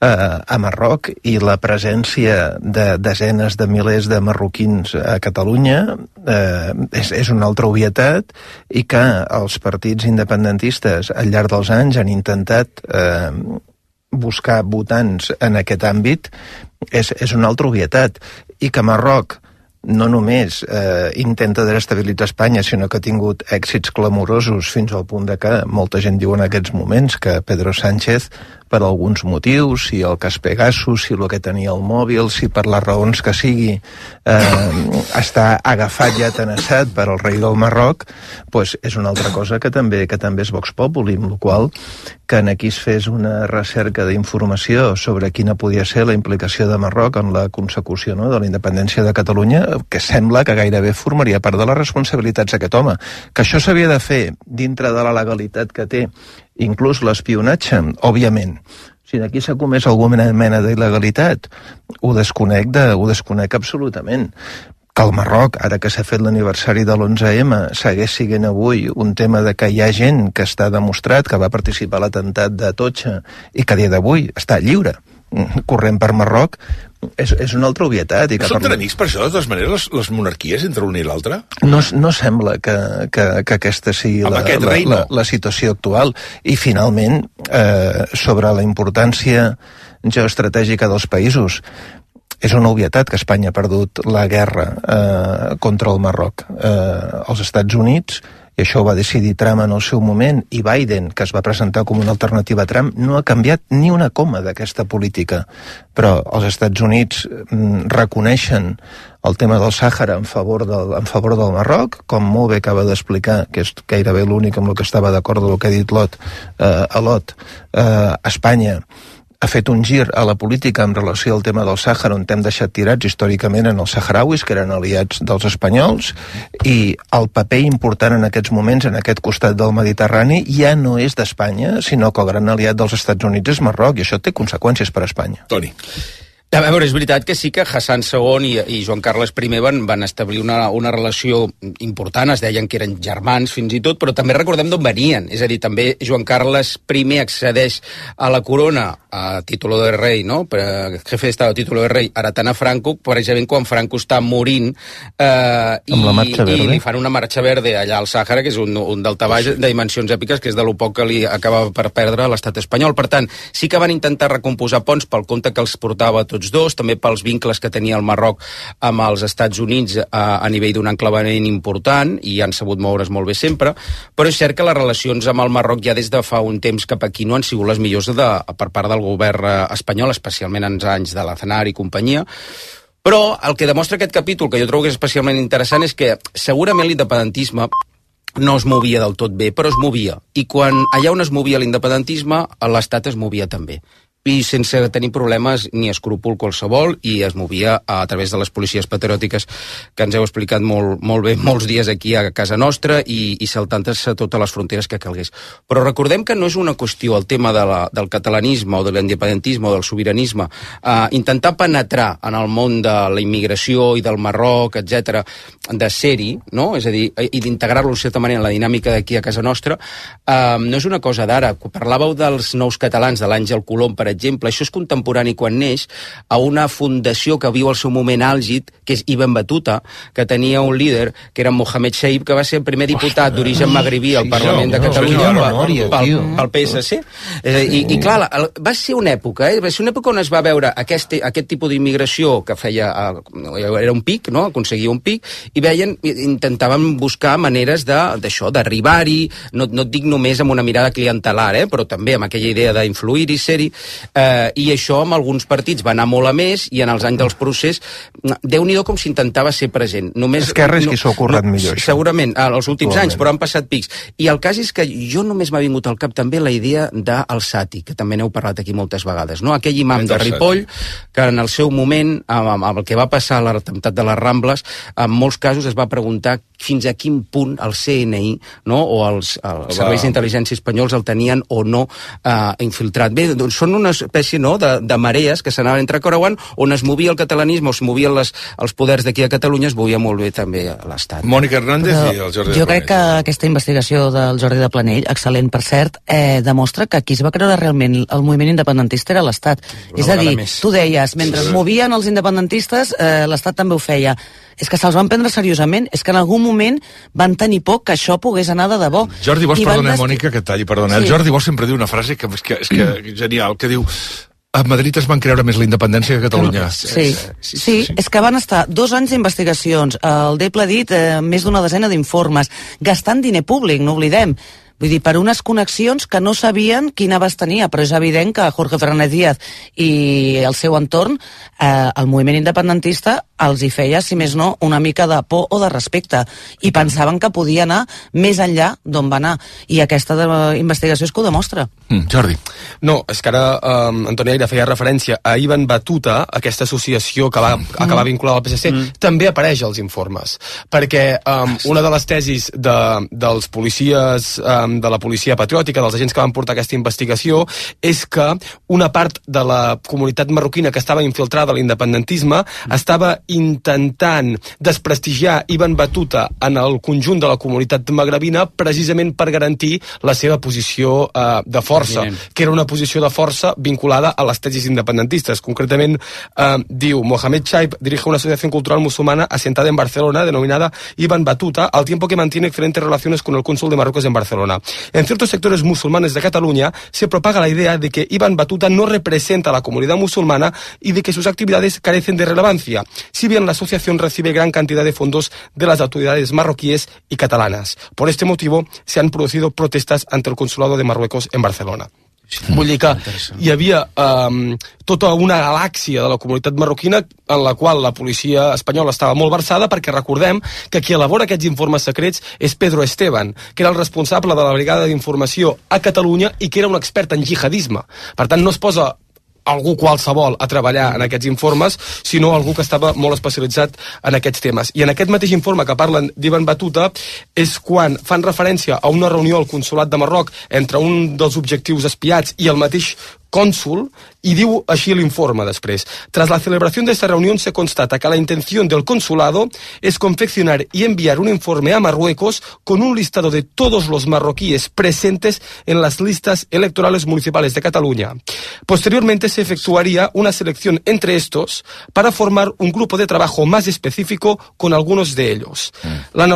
a Marroc, i la presència de desenes de milers de marroquins a Catalunya és una altra obvietat, i que els partits independentistes al llarg dels anys han intentat buscar votants en aquest àmbit és una altra obvietat, i que Marroc no només intenta desestabilitzar Espanya, sinó que ha tingut èxits clamorosos fins al punt de que molta gent diu en aquests moments que Pedro Sánchez, per alguns motius, si el cas Pegasus, si el que tenia el mòbil, si per les raons que sigui està agafat i atenassat per al rei del Marroc, pues és una altra cosa que també és Vox Populi, amb la qual que aquí es fes una recerca d'informació sobre quina podia ser la implicació de Marroc en la consecució, no, de la independència de Catalunya, que sembla que gairebé formaria part de les responsabilitats d'aquest home. Que això s'havia de fer dintre de la legalitat que té, inclús l'espionatge, òbviament. Si aquí s'ha comès alguna mena d'il·legalitat, ho desconec absolutament. Que el Marroc, ara que s'ha fet l'aniversari de l'11M, segueix siguent avui un tema de que hi ha gent que està demostrat que va participar a l'atemptat de Atocha i que a dia d'avui està lliure, corrent per Marroc, és una altra obvietat. Són tan amics per això, de totes maneres, les monarquies entre l'un i l'altre? No sembla que aquesta sigui la situació actual. I finalment, sobre la importància geoestratègica dels països, és una obvietat que Espanya ha perdut la guerra contra el Marroc. Els Estats Units i això ho va decidir Trump en el seu moment, i Biden, que es va presentar com una alternativa a Trump, no ha canviat ni una coma d'aquesta política. Però els Estats Units reconeixen el tema del Sàhara en favor del Marroc, com molt bé acaba d'explicar, que és gairebé l'únic amb el que estava d'acord del que ha dit Lot. Espanya ha fet un gir a la política en relació al tema del Sàhara, on hem deixat tirats històricament en els saharauis, que eren aliats dels espanyols, i el paper important en aquests moments, en aquest costat del Mediterrani, ja no és d'Espanya, sinó que el gran aliat dels Estats Units és Marroc, i això té conseqüències per a Espanya. Toni. A veure, és veritat que sí que Hassan II i Joan Carles I van establir una relació important, es deien que eren germans fins i tot, però també recordem d'on venien. És a dir, també Joan Carles I accedeix a la corona a títol de rei, no? Jefe d'Estat a títol de rei, heretant a Franco, precisament quan Franco està morint, i li fan una marxa verde allà al Sàhara, que és un daltabaix de dimensions èpiques, que és de lo poc que li acaba per perdre l'estat espanyol. Per tant, sí que van intentar recomposar ponts pel compte que els portava tots dos, també pels vincles que tenia el Marroc amb els Estats Units a nivell d'un enclavament important, i han sabut moure's molt bé sempre, però és cert que les relacions amb el Marroc ja des de fa un temps cap aquí no han sigut les millors per part del govern espanyol, especialment en anys de l'Aznar i companyia. Però el que demostra aquest capítol, que jo trobo que és especialment interessant, és que segurament l'independentisme no es movia del tot bé, però es movia. I quan allà on es movia l'independentisme, l'Estat es movia també. I sense tenir problemes ni escrúpol qualsevol, i es movia a través de les policies patriòtiques que ens heu explicat molt bé molts dies aquí a casa nostra, i saltant-se totes les fronteres que calgués. Però recordem que no és una qüestió el tema del catalanisme o de l'independentisme o del sobiranisme, intentar penetrar en el món de la immigració i del Marroc, etc, de ser-hi, no? És a dir, i d'integrar-lo en certa manera en la dinàmica d'aquí a casa nostra, no és una cosa d'ara. Parlàveu dels nous catalans, de l'Àngel Colom, per exemple, això és contemporani quan neix a una fundació que viu el seu moment àlgid, que és Ibn Battuta, que tenia un líder, que era Mohamed Shaib, que va ser el primer diputat d'origen magribí al Parlament de Catalunya pel PSC. I clar, va ser una època, va ser una època on es va veure aquest tipus d'immigració que feia, era un pic, no? Aconseguia un pic, i intentaven buscar maneres d'això, d'arribar-hi, no et dic només amb una mirada clientelar, però també amb aquella idea d'influir-hi, ser-hi. I això amb alguns partits va anar molt a més, i en els anys dels procés Déu-n'hi-do com s'intentava ser present. Esquerra és qui s'ho ha currat millor, això. Segurament, als últims anys, però han passat pics. I el cas és que jo només m'ha vingut al cap també la idea del Sati, que també n'heu parlat aquí moltes vegades, no? Aquell imam de Ripoll, que en el seu moment, amb el que va passar a l'atemptat de les Rambles, en molts casos es va preguntar fins a quin punt el CNI, no? O els serveis d'intel·ligència espanyols el tenien o no infiltrat. Bé, doncs són una espècie, no?, de marees que s'anaven entrecreuant, on es movia el catalanisme, o es movien els poders d'aquí a Catalunya, es movia molt bé també l'Estat. Mònica Hernández i el Jordi de Planell. Jo crec que aquesta investigació del Jordi de Planell, excel·lent per cert, demostra que qui es va creure realment el moviment independentista era l'Estat. És a dir, tu deies, mentre es movien els independentistes, l'Estat també ho feia. És que se'ls van prendre seriosament, és que en algun moment van tenir por que això pogués anar de debò. Jordi Bosch, perdona, Mònica, que talli, perdona. Sí. El Jordi Bosch sempre diu una frase que és genial, que diu: a Madrid es van creure més la independència que a Catalunya. Sí, és que van estar 2 anys d'investigacions, el Deble ha dit més d'una desena d'informes, gastant diner públic, no oblidem. Vull dir, per unes connexions que no sabien quin abast tenia, però és evident que Jorge Fernández Díaz i el seu entorn, el moviment independentista, els hi feia, si més no, una mica de por o de respecte, i pensaven que podia anar més enllà d'on va anar, i aquesta investigació és que ho demostra. Jordi. No, és que ara Antoni Aire feia referència a Ibn Battuta, aquesta associació que va acabar vinculada al PSC, també apareix als informes, perquè una de les tesis dels policies de la policia patriòtica, dels agents que van portar aquesta investigació, és que una part de la comunitat marroquina que estava infiltrada a l'independentisme estava intentant desprestigiar Ibn Battuta en el conjunt de la comunitat magrebina precisament per garantir la seva posició de força, que era una posició de força vinculada a les tesis independentistes. Concretament, diu, Mohamed Shaib dirige una asociación cultural musulmana asentada en Barcelona, denominada Ibn Battuta, al tiempo que mantiene excelentes relaciones con el cónsul de Marruecos en Barcelona. En ciertos sectores musulmanes de Cataluña se propaga la idea de que Ibn Battuta no representa a la comunidad musulmana y de que sus actividades carecen de relevancia. si bien la asociación recibe gran cantidad de fondos de las autoridades marroquíes y catalanas. Por este motivo se han producido protestas ante el Consulado de Marruecos en Barcelona. Vull dir que hi havia tota una galàxia de la comunitat marroquina en la qual la policia espanyola estava molt versada, perquè recordem que qui elabora aquests informes secrets és Pedro Esteban, que era el responsable de la brigada d'informació a Catalunya i que era un expert en jihadisme. Per tant, no es posa algú qualsevol a treballar en aquests informes, sinó algú que estava molt especialitzat en aquests temes. I en aquest mateix informe que parlen d'Ibn Battuta és quan fan referència a una reunió al Consolat de Marroc entre un dels objectius espiats i el mateix cónsul, y diu així l'informe després. Tras la celebración de esta reunión se constata que la intención del consulado es confeccionar y enviar un informe a Marruecos con un listado de todos los marroquíes presentes en las listas electorales municipales de Cataluña. Posteriormente se efectuaría una selección entre estos para formar un grupo de trabajo más específico con algunos de ellos. La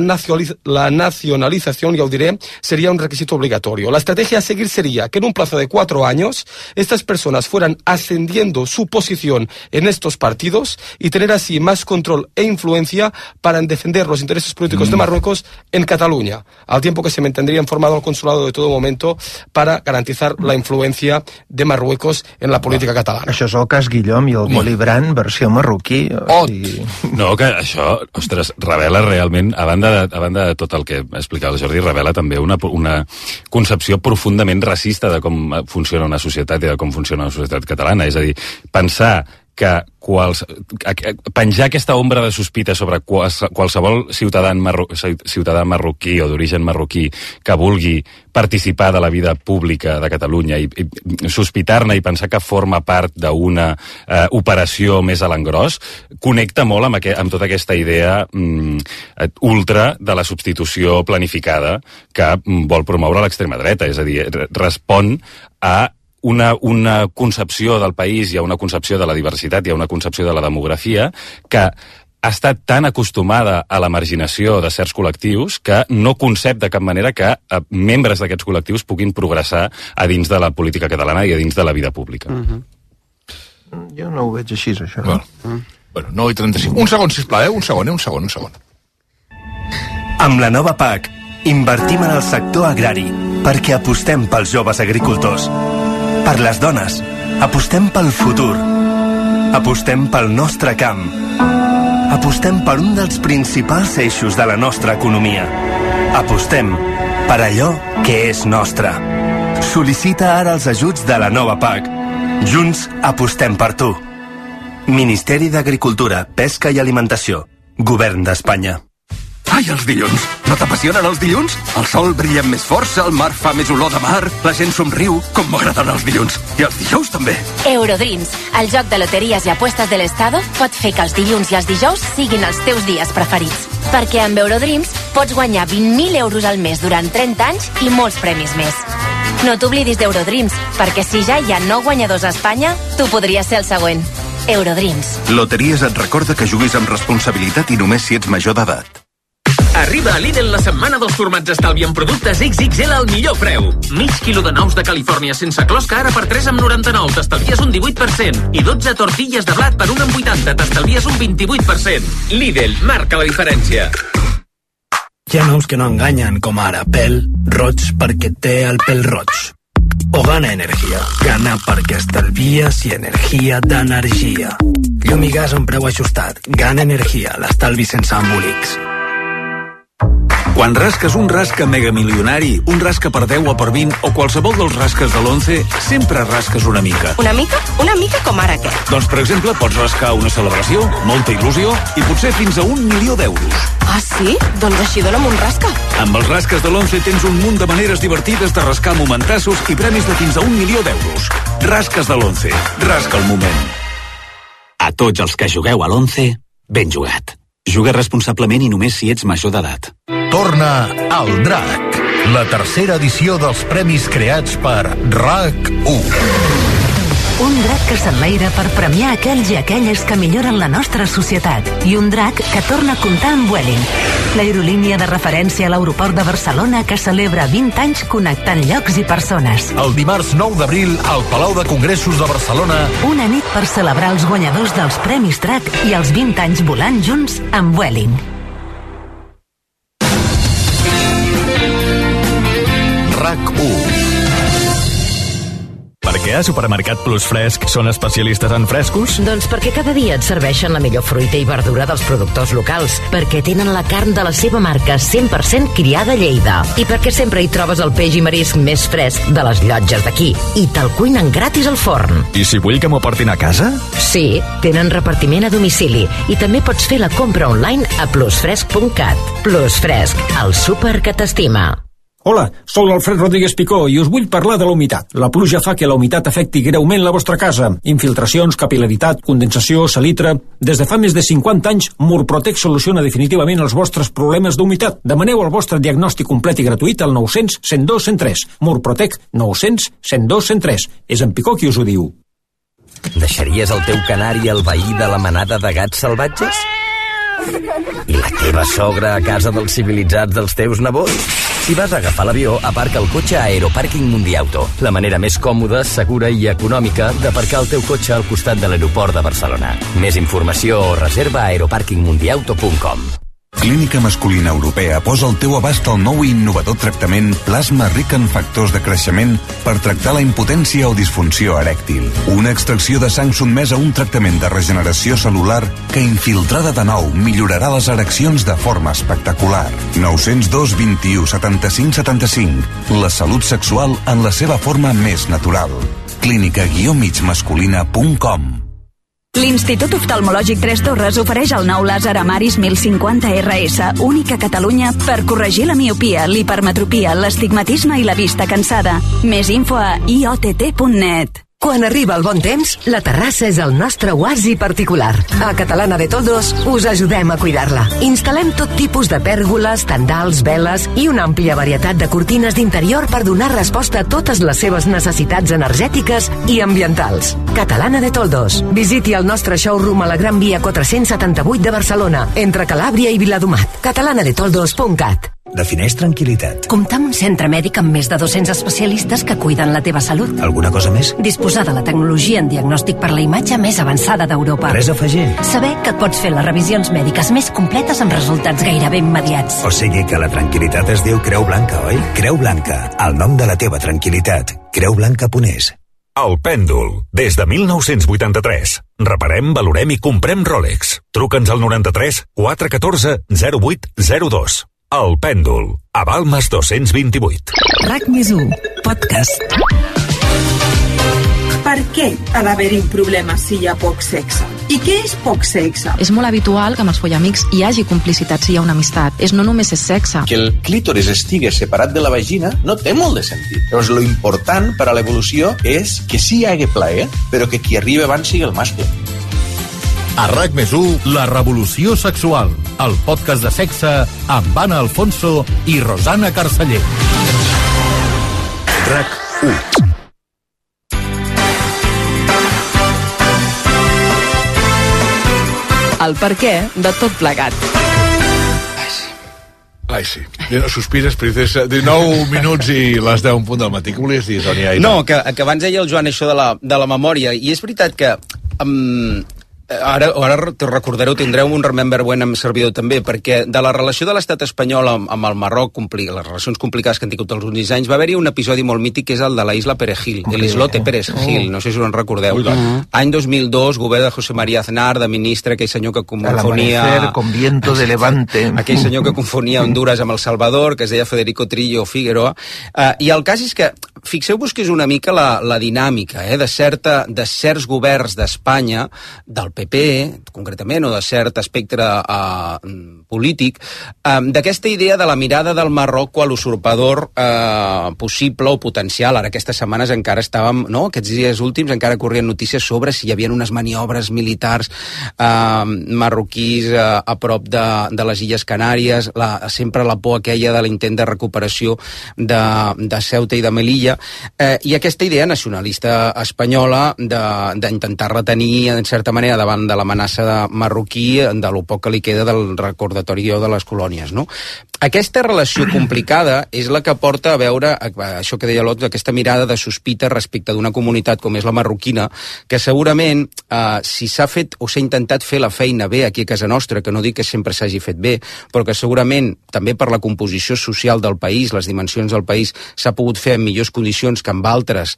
nacionalización, ya os diré, sería un requisito obligatorio. La estrategia a seguir sería que en un plazo de 4 años estas personas fueran ascendiendo su posición en estos partidos y tener así más control e influencia para defender los intereses políticos de Marruecos en Cataluña, al tiempo que se mantendría informado al consulado de todo momento para garantizar la influencia de Marruecos en la política catalana. Això és el cas Guillaume i el Willy Brandt, versió marroquí. No, que això, ostres, revela realment, a banda de tot el que explicava el Jordi, revela també una concepció profundament racista de com funciona una societat i de com funciona una societat catalana. És a dir, pensar que penjar aquesta ombra de sospita sobre qualsevol ciutadà marroquí o d'origen marroquí que vulgui participar de la vida pública de Catalunya i sospitar-ne i pensar que forma part d'una operació més a l'engròs, connecta molt amb tota aquesta idea ultra de la substitució planificada que vol promoure l'extrema dreta. És a dir, respon a una concepció del país i a una concepció de la diversitat i a una concepció de la demografia que ha estat tan acostumada a la marginació de certs col·lectius que no concep de cap manera que membres d'aquests col·lectius puguin progressar a dins de la política catalana i a dins de la vida pública. Jo no ho veig així, això. Bueno, 9:35. Un segon, sisplau, un segon. Amb la nova PAC, invertim en el sector agrari perquè apostem pels joves agricultors. Per les dones, apostem pel futur. Apostem pel nostre camp. Apostem per un dels principals eixos de la nostra economia. Apostem per allò que és nostre. Sol·licita ara els ajuts de la nova PAC. Junts apostem per tu. Ministeri d'Agricultura, Pesca i Alimentació. Govern d'Espanya. Ai, els dilluns! No t'apassionen els dilluns? El sol brilla amb més força, el mar fa més olor de mar, la gent somriu, com m'agraden els dilluns. I els dijous també. Eurodreams, el joc de loteries i apuestes de l'Estado, pot fer que els dilluns i els dijous siguin els teus dies preferits. Perquè amb Eurodreams pots guanyar 20.000 euros al mes durant 30 anys i molts premis més. No t'oblidis d'Eurodreams, perquè si ja hi ha 9 guanyadors a Espanya, tu podries ser el següent. Eurodreams. Loteries et recorda que juguis amb responsabilitat i només si ets major d'edat. Arriba a Lidl la setmana dels formats estalvi en productes XXL al millor preu. Mig quilo de nous de Califòrnia sense closca ara per 3,99, t'estalvies un 18%. I 12 tortilles de blat per 1,80, t'estalvies un 28%. Lidl, marca la diferència. Hi ha nous que no enganyen, com ara pèl roig perquè té el pèl roig. O Gana Energia. Gana perquè estalvies i energia d'energia. Llum i gas a un preu ajustat. Gana Energia, l'estalvi sense embolics. Quan rasques un rasca megamilionari, un rasca per 10 o per 20 o qualsevol dels rasques de l'11, sempre rasques una mica. Una mica? Una mica com ara què? Doncs, per exemple, pots rascar una celebració, molta il·lusió i potser fins a 1 milió d'euros. Ah, sí? Doncs així dona'm un rasca. Amb els rasques de l'11 tens un munt de maneres divertides de rascar momentassos i premis de fins a 1 milió d'euros. Rasques de l'11. Rasca el moment. A tots els que jugueu a l'11, ben jugat. Juga responsablement i només si ets major d'edat. Torna al DRAC, la tercera edició dels premis creats per RAC1. Un drac que s'enlaira per premiar aquells i aquelles que milloren la nostra societat. I un drac que torna a comptar amb Vueling, l'aerolínia de referència a l'aeroport de Barcelona que celebra 20 anys connectant llocs i persones. El dimarts 9 d'abril al Palau de Congressos de Barcelona. Una nit per celebrar els guanyadors dels Premis Drac i els 20 anys volant junts amb Vueling. RAC1. Per què a Supermercat Plus Fresc són especialistes en frescos? Doncs perquè cada dia et serveixen la millor fruita i verdura dels productors locals, perquè tenen la carn de la seva marca 100% criada a Lleida, i perquè sempre hi trobes el peix i marisc més fresc de les llotges d'aquí, i te'l cuinen gratis al forn. I si vull que m'ho portin a casa? Sí, tenen repartiment a domicili, i també pots fer la compra online a plusfresc.cat. Plus Fresc, el súper que t'estima. Hola, sóc l'Alfred Rodríguez Picó i us vull parlar de la humitat. La pluja fa que la humitat afecti greument la vostra casa. Infiltracions, capil·laritat, condensació, salitre... Des de fa més de 50 anys, Murprotec soluciona definitivament els vostres problemes d'humitat. Demaneu el vostre diagnòstic complet i gratuït al 900 102 103. Murprotec 900 102 103. És en Picó qui us ho diu. Deixaries el teu canari al veí de la manada de gats salvatges? I la teva sogra a casa dels civilitzats dels teus nebots? Si vas a agafar l'avió, aparca el cotxe a Aeropàrquing Mundiauto, la manera més còmoda, segura i econòmica d'aparcar el teu cotxe al costat de l'aeroport de Barcelona. Més informació o reserva a aeroparkingmundiauto.com. Clínica Masculina Europea posa al teu abast el nou i innovador tractament plasma ric en factors de creixement per tractar la impotència o disfunció erèctil. Una extracció de sang sotmesa a un tractament de regeneració cel·lular que, infiltrada de nou, millorarà les ereccions de forma espectacular. 902 21 75 75. La salut sexual en la seva forma més natural. clínica-migmasculina.com. L'Institut Oftalmològic Tres Torres ofereix el nou làser Amaris 1050 RS, únic a Catalunya per corregir la miopia, l'hipermetropia, l'astigmatisme i la vista cansada. Més info a iott.net. Quan arriba el bon temps, la terrassa és el nostre oasi particular. A Catalana de Toldos us ajudem a cuidar-la. Instal·lem tot tipus de pèrgoles, tendals, veles i una àmplia varietat de cortines d'interior per donar resposta a totes les seves necessitats energètiques i ambientals. Catalana de Toldos. Visiti el nostre showroom a la Gran Via 478 de Barcelona, entre Calàbria i Viladomat. catalanadetoldos.cat. Defineix tranquil·litat. Comptar amb un centre mèdic amb més de 200 especialistes que cuiden la teva salut. Alguna cosa més? Disposar de la tecnologia en diagnòstic per la imatge més avançada d'Europa. Res a afegir. Saber que et pots fer les revisions mèdiques més completes amb resultats gairebé immediats. O sigui que la tranquil·litat es diu Creu Blanca, oi? Creu Blanca, el nom de la teva tranquil·litat. Creublanca.es. El Pèndol, des de 1983. Reparem, valorem i comprem Rolex. Truca'ns al 93 414 0802. El Pèndol, a Balmes 228. RAC+1, podcast. Per què ha d'haver-hi un problema si hi ha poc sexe? I què és poc sexe? És molt habitual que amb els follamics hi hagi complicitat si hi ha una amistat. No només és sexe. Que el clítoris estigui separat de la vagina no té molt de sentit. Llavors, lo important per a l'evolució és que sí hi hagi plaer, però que qui arriba abans sigui el mascle. A RAC+1, La revolució sexual, el podcast de sexe amb Anna Alfonso i Rosana Carceller. RAC1. El perquè de tot plegat. Ai, sí. Sospires, princesa. 19 minuts i les 10 en punt del matí. Què volies dir, Toni Aire? No, que abans deia el Joan això de la memòria, i és veritat que... Ara te recordareu, tindreu un Remember When amb servidor també, perquè de la relació de l'estat espanyol amb el Marroc, les relacions complicades que han tingut els últims anys, va haver-hi un episodi molt mític que és el de la isla Perejil, l'Islote Perejil, no sé si us en recordeu. Any 2002, govern de José María Aznar, de ministre, aquell senyor que confonia... con viento de levante. Aquell senyor que confonia Honduras amb El Salvador, que es deia Federico Trillo Figueroa. I el cas és que, fixeu-vos que és una mica la dinàmica de certs governs d'Espanya, del PP, concretament, o de cert espectre polític, d'aquesta idea de la mirada del Marroc a l'usurpador possible o potencial. Ara aquestes setmanes encara estàvem, aquests dies últims encara corrien notícies sobre si hi havia unes maniobres militars marroquís a prop de les Illes Canàries, sempre la por aquella de l'intent de recuperació de Ceuta i de Melilla. Turquia, i aquesta idea nacionalista espanyola d'intentar retenir, en certa manera, davant de l'amenaça marroquí de lo poc que li queda del recordatori de les colònies, no? Aquesta relació complicada és la que porta a veure, això que deia l'Ot, aquesta mirada de sospita respecte d'una comunitat com és la marroquina, que segurament, si s'ha fet o s'ha intentat fer la feina bé aquí a casa nostra, que no dic que sempre s'hagi fet bé, però que segurament també per la composició social del país, les dimensions del país, s'ha pogut fer en millors condicions que amb altres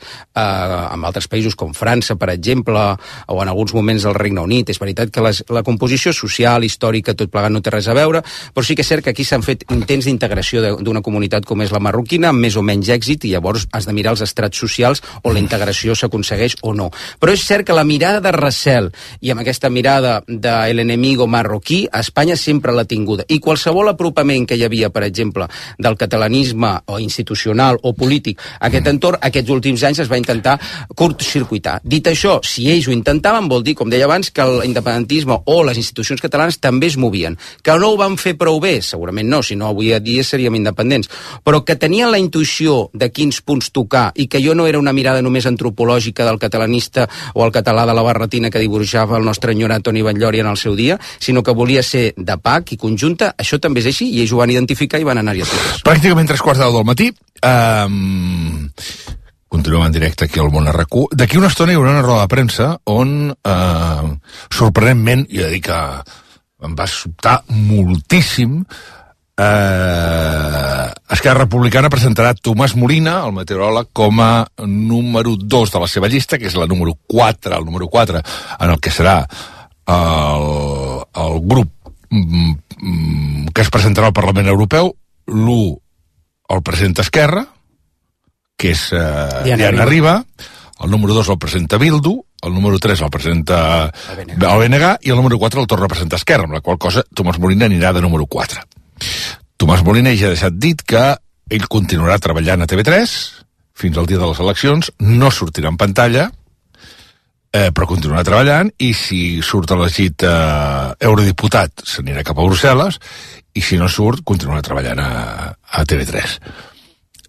països com França, per exemple, o en alguns moments del Regne Unit. És veritat que la composició social, històrica, tot plegat no té res a veure, però sí que és cert que aquí s'han fet intents d'integració d'una comunitat com és la marroquina, amb més o menys èxit, i llavors has de mirar els estrats socials on la integració s'aconsegueix o no. Però és cert que la mirada de recel i amb aquesta mirada de l'enemigo marroquí, Espanya sempre l'ha tinguda. I qualsevol apropament que hi havia, per exemple, del catalanisme o institucional o polític a aquest entorn, aquests últims anys es va intentar curtcircuitar. Dit això, si ells ho intentaven, vol dir, com deia abans, que l'independentisme o les institucions catalanes també es movien. Que no ho van fer prou bé? Segurament no, si no avui a dia seríem independents, però que tenien la intuïció de quins punts tocar i que jo no era una mirada només antropològica del catalanista o el català de la barretina que dibuixava el nostre enyorat Toni Batllori en el seu dia, sinó que volia ser de PAC i conjunta. Això també és així i ells ho van identificar i van anar-hi a totes. Pràcticament 3:15 del matí. Continuem en directe aquí al Món RQ. D'aquí una estona hi haurà una roda de premsa on, sorprenentment, jo he de dir que em va sobtar moltíssim, Esquerra Republicana presentarà Tomàs Molina, el meteoròleg, com a número 2 de la seva llista, que és el número 4, en el que serà el grup que es presentarà al Parlament Europeu. L'1 el presenta Esquerra, que és Diana Riba, el número 2 el presenta Bildu, el número 3 el presenta el BNG i el número 4 el torna a presentar Esquerra, amb la qual cosa Tomàs Molina anirà de número 4. Tomàs Molina ja ha deixat dit que ell continuarà treballant a TV3 fins al dia de les eleccions, no sortirà en pantalla, però continuarà treballant, i si surt elegit eurodiputat s'anirà cap a Brussel·les, i si no surt continuarà treballant a TV3.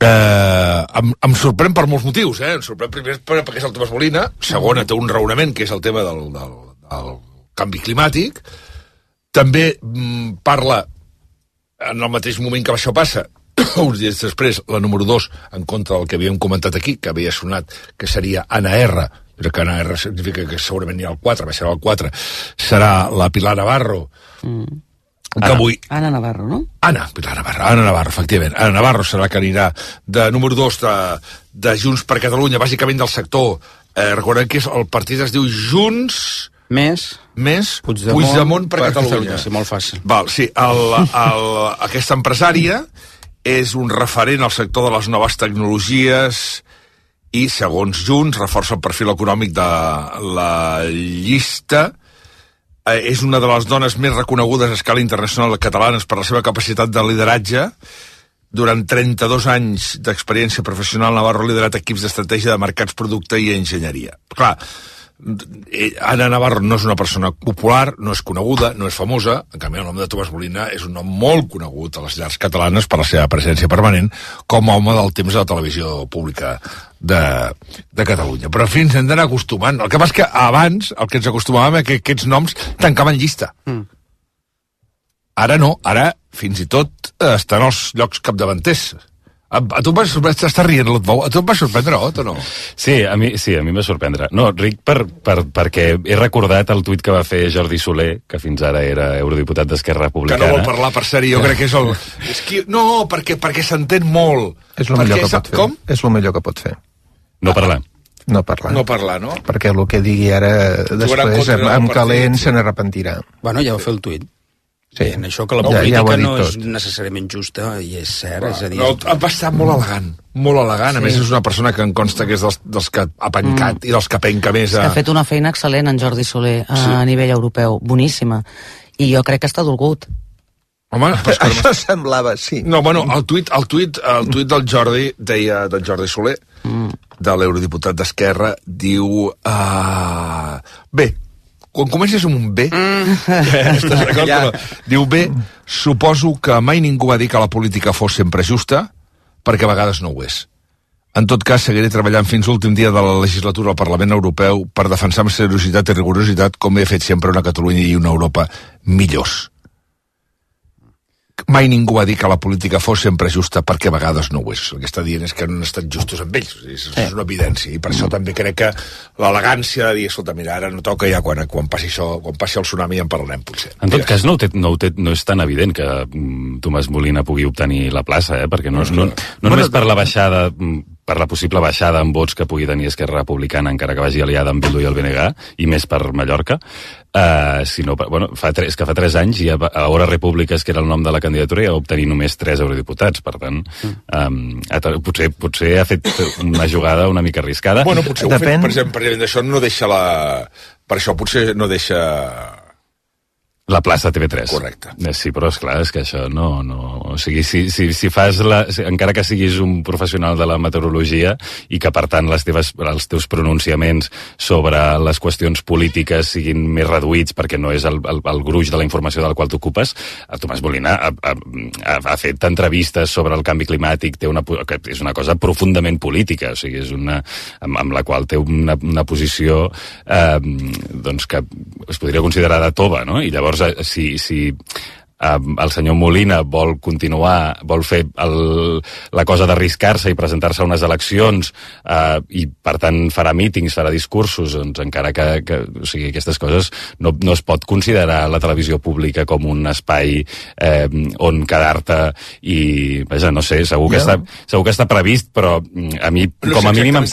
Em sorprèn per molts motius, em sorprèn primer perquè és el Tomàs Molina, segona té un raonament que és el tema del canvi climàtic, també parla en el mateix moment que això passa, uns dies després, la número 2 en contra del que havíem comentat aquí, que havia sonat que seria Anna R, però que Anna R significa que segurament hi ha el 4, baixarà el 4, serà la Pilar Navarro, que avui... Anna Navarro, no? Anna Navarro, efectivament. Anna Navarro serà que anirà de número 2 de Junts per Catalunya, bàsicament del sector. Recordem que el partit es diu Junts... Més Puigdemont per Catalunya. Sí, molt fàcil. Val, sí, aquesta empresària és un referent al sector de les noves tecnologies i, segons Junts, reforça el perfil econòmic de la llista. És una de les dones més reconegudes a escala internacional catalanes per la seva capacitat de lideratge. Durant 32 anys d'experiència professional, Navarro ha liderat equips d'estratègia de mercats, producte i enginyeria. Clar, Anna Navarro no és una persona popular, no és coneguda, no és famosa. En canvi, el nom de Tomàs Molina és un nom molt conegut a les llars catalanes per la seva presència permanent com a home del temps de la televisió pública de Catalunya. Però fins hem d'anar acostumant. El que passa és que abans el que ens acostumàvem és que aquests noms tancaven llista. Ara no, ara fins i tot estan als llocs capdavanters. A tu em va sorprendre, t'estàs rient, l'Otbou, a tu em va sorprendre, Ot, o no? Sí, a mi em va sorprendre. No, Ric, perquè he recordat el tuit que va fer Jordi Soler, que fins ara era eurodiputat d'Esquerra Republicana. Que no vol parlar, per sèrie, jo crec que és el... No, perquè s'entén molt. És el millor que pot fer. Com? És el millor que pot fer. No parlar. No parlar. No parlar, no? Perquè el que digui ara després, amb calent, se n'arrepentirà. Bueno, ja va fer el tuit. Sí. En això que la política no és necessàriament justa, i és cert, és a dir... No, va estar molt elegant, molt elegant. Sí. A més, és una persona que em consta que és dels que ha pencat i dels que penca més a... Ha fet una feina excel·lent en Jordi Soler a nivell europeu, boníssima. I jo crec que està dolgut. Home, això semblava, sí. No, bueno, el tuit del Jordi, deia del Jordi Soler, de l'eurodiputat d'Esquerra, diu... Bé, quan comences amb un B, diu B, suposo que mai ningú va dir que la política fos sempre justa, perquè a vegades no ho és. En tot cas, seguiré treballant fins l'últim dia de la legislatura al Parlament Europeu per defensar amb seriositat i rigorositat com he fet sempre una Catalunya i una Europa millors. Mai ningú va dir que la política fos sempre justa, perquè a vegades no ho és. El que està dient és que no han estat justos amb ells. És una evidència. I per això també crec que l'elegància de dir, escolta, mira, ara no toca, ja quan passi això, quan passi el tsunami en parlarem, potser. En tot cas, no és tan evident que Tomàs Molina pugui obtenir la plaça, perquè no només per la baixada, per la possible baixada en vots que pugui tenir Esquerra Republicana, encara que vagi aliada amb Bildu i el BNG, i més per Mallorca, sinó, fa 3 anys, i a Hora Repúbliques, que era el nom de la candidatura, ja va obtenir només 3 eurodiputats. Per tant, potser ha fet una jugada una mica arriscada. Bueno, potser ho ha fet, per exemple, d'això no deixa per això potser no deixa la plaça TV3. Correcte. Sí, però esclar, és que això no... O sigui, si fas encara que siguis un professional de la meteorologia i que, per tant, els teus pronunciaments sobre les qüestions polítiques siguin més reduïts perquè no és el gruix de la informació del qual t'ocupes, Tomàs Molina ha fet entrevistes sobre el canvi climàtic, que és una cosa profundament política, o sigui, és amb la qual té una posició doncs que es podria considerar de tova, no? I llavors si el senyor Molina vol fer la cosa d'arriscar-se i presentar-se a unes eleccions i per tant farà mítings, farà discursos, doncs encara que o sigui, aquestes coses no es pot considerar la televisió pública com un espai on quedar-te i, vaja, no sé, segur que està previst, però a mi com a mínim em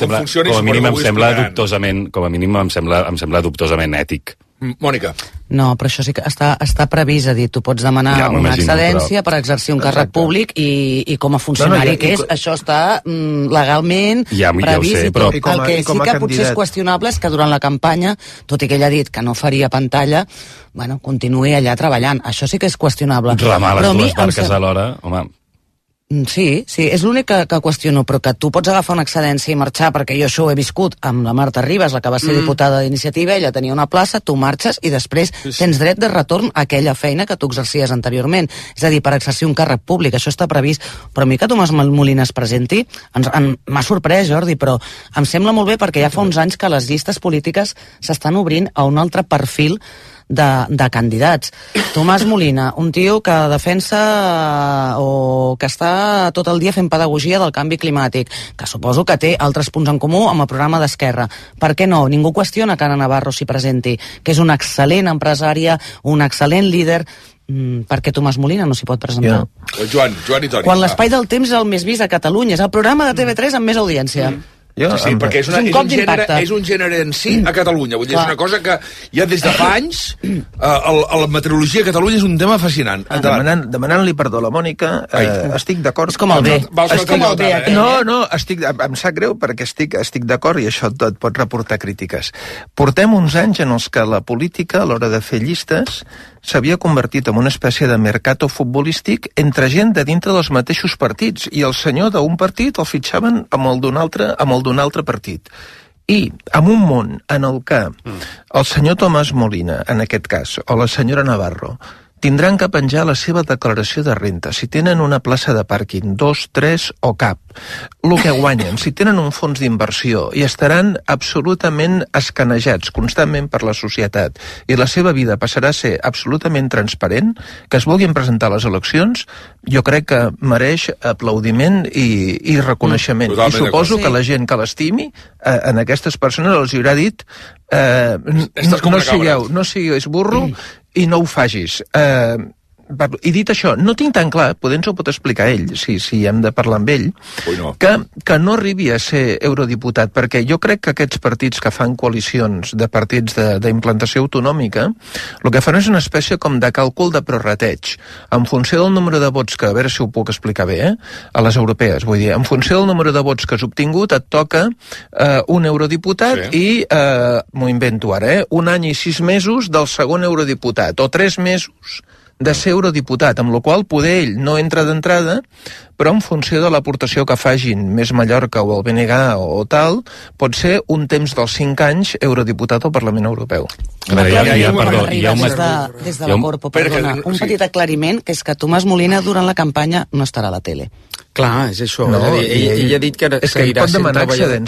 sembla dubtosament ètic. Mònica. No, però això sí que està previst, a dir, tu pots demanar una excedència per exercir un càrrec públic i com a funcionari que és, això està legalment previst. Però el que sí que potser és qüestionable és que durant la campanya, tot i que ell ha dit que no faria pantalla, bueno, continuï allà treballant. Això sí que és qüestionable. Remar les dues barques alhora, home... Sí, és l'únic que qüestiono, però que tu pots agafar una excedència i marxar, perquè jo això ho he viscut amb la Marta Ribas, la que va ser diputada d'Iniciativa, ella tenia una plaça, tu marxes i després tens dret de retorn a aquella feina que tu exercies anteriorment. És a dir, per exercir un càrrec públic, això està previst. Però a mi que Tomàs Molina es presenti, m'ha sorprès, Jordi, però em sembla molt bé perquè ja fa uns anys que les llistes polítiques s'estan obrint a un altre perfil de candidats. Tomàs Molina, un tio que defensa o que està tot el dia fent pedagogia del canvi climàtic, que suposo que té altres punts en comú amb el programa d'Esquerra. Per què no? Ningú qüestiona que Anna Navarro s'hi presenti, que és una excel·lent empresària, un excel·lent líder. Per què Tomàs Molina no s'hi pot presentar? Joan i Toni. Quan l'Espai del Temps és el més vist a Catalunya, és el programa de TV3 amb més audiència. Sí, perquè és un gènere en si a Catalunya. Vull dir, és una cosa que ja des de fa anys la meteorologia a Catalunya és un tema fascinant. Demanant-li perdó a la Mònica, estic d'acord. És com el bé. Em sap greu perquè estic d'acord i això et pot reportar crítiques. Portem uns anys en els que la política, a l'hora de fer llistes, s'havia convertit en una espècie de mercato futbolístic entre gent de dintre dels mateixos partits, i el senyor d'un partit el fitxaven amb el d'un altre partit. I en un món en el que el senyor Tomàs Molina, en aquest cas, o la senyora Navarro, tindran que penjar la seva declaració de renda, si tenen una plaça de pàrquing, 2, 3 o cap, el que guanyen, si tenen un fons d'inversió, i estaran absolutament escanejats constantment per la societat, i la seva vida passarà a ser absolutament transparent, que es vulguin presentar a les eleccions, jo crec que mereix aplaudiment i reconeixement. I suposo que la gent que l'estimi, en aquestes persones els haurà dit no sigueu burro i no ho fagis. I dit això, no tinc tan clar, potser ens ho pot explicar ell, si hem de parlar amb ell, que no arribi a ser eurodiputat, perquè jo crec que aquests partits que fan coalicions de partits d'implantació autonòmica, el que fan és una espècie com de càlcul de prorrateig, en funció del número de vots, que a veure si ho puc explicar bé, a les europees, vull dir, en funció del número de vots que has obtingut, et toca un eurodiputat i, m'ho invento ara, un any i 6 mesos del segon eurodiputat, o 3 mesos de ser eurodiputat, amb la qual poder ell no entra d'entrada, però en funció de l'aportació que fagin més Mallorca o el BNG o tal, pot ser un temps dels 5 anys eurodiputat al Parlament Europeu. Des de la Corpo, perdona, un petit aclariment, que és que Tomàs Molina durant la campanya no estarà a la tele. Clar, és això. Ell ha dit que seguirà sent treballador.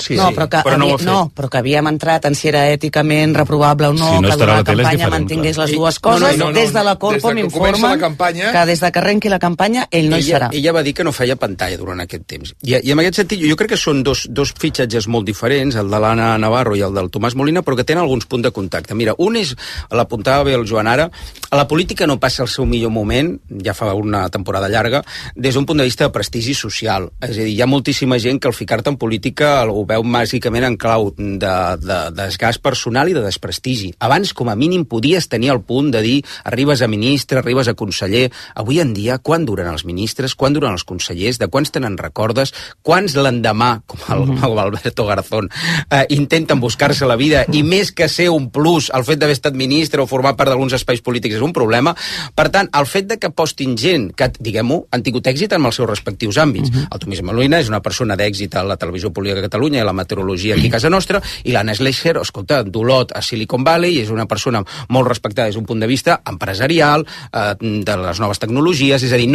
Però que havíem entrat en si era èticament reprovable o no, que la campanya mantingués les dues coses. Des de la Corpo m'informen que des de que arrenqui la campanya ell no hi serà. Ella va dir que no feia pantalla durant aquest temps. I en aquest sentit, jo crec que són dos fitxatges molt diferents, el de l'Anna Navarro i el del Tomàs Molina, però que tenen alguns punts de contacte. Mira, un és, l'apuntava bé el Joan ara, a la política no passa el seu millor moment, ja fa una temporada llarga, des d'un punt de vista de prestigi social. És a dir, hi ha moltíssima gent que al ficar-te en política ho veu bàsicament en clau de desgast personal i de desprestigi. Abans, com a mínim, podies tenir el punt de dir arribes a ministre, arribes a conseller. Avui en dia, quan duren els ministres, quan duren els consellers, de quants tenen recordes, quants l'endemà, com Alberto Garzón, intenten buscar-se la vida, i més que ser un plus, el fet d'haver estat ministre o formar part d'alguns espais polítics és un problema. Per tant, el fet de que postin gent que, diguem-ho, han tingut èxit en els seus respectius àmbits. El Tomàs Molina és una persona d'èxit a la televisió pública de Catalunya i a la meteorologia aquí a casa nostra, i l'Anna Schlecher, escolta, d'Olot a Silicon Valley, és una persona molt respectada des d'un punt de vista empresarial, de les noves tecnologies, és a dir, ella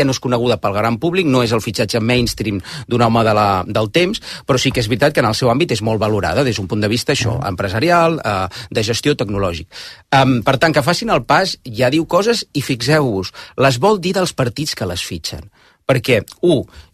no és coneguda pel gran públic, no és el fitxatge mainstream d'un home del temps, però sí que és veritat que en el seu àmbit és molt valorada des d'un punt de vista això, empresarial, de gestió tecnològic. Per tant, que facin el pas, ja diu coses, i fixeu-vos, les vol dir dels partits que les fitxen. Perquè,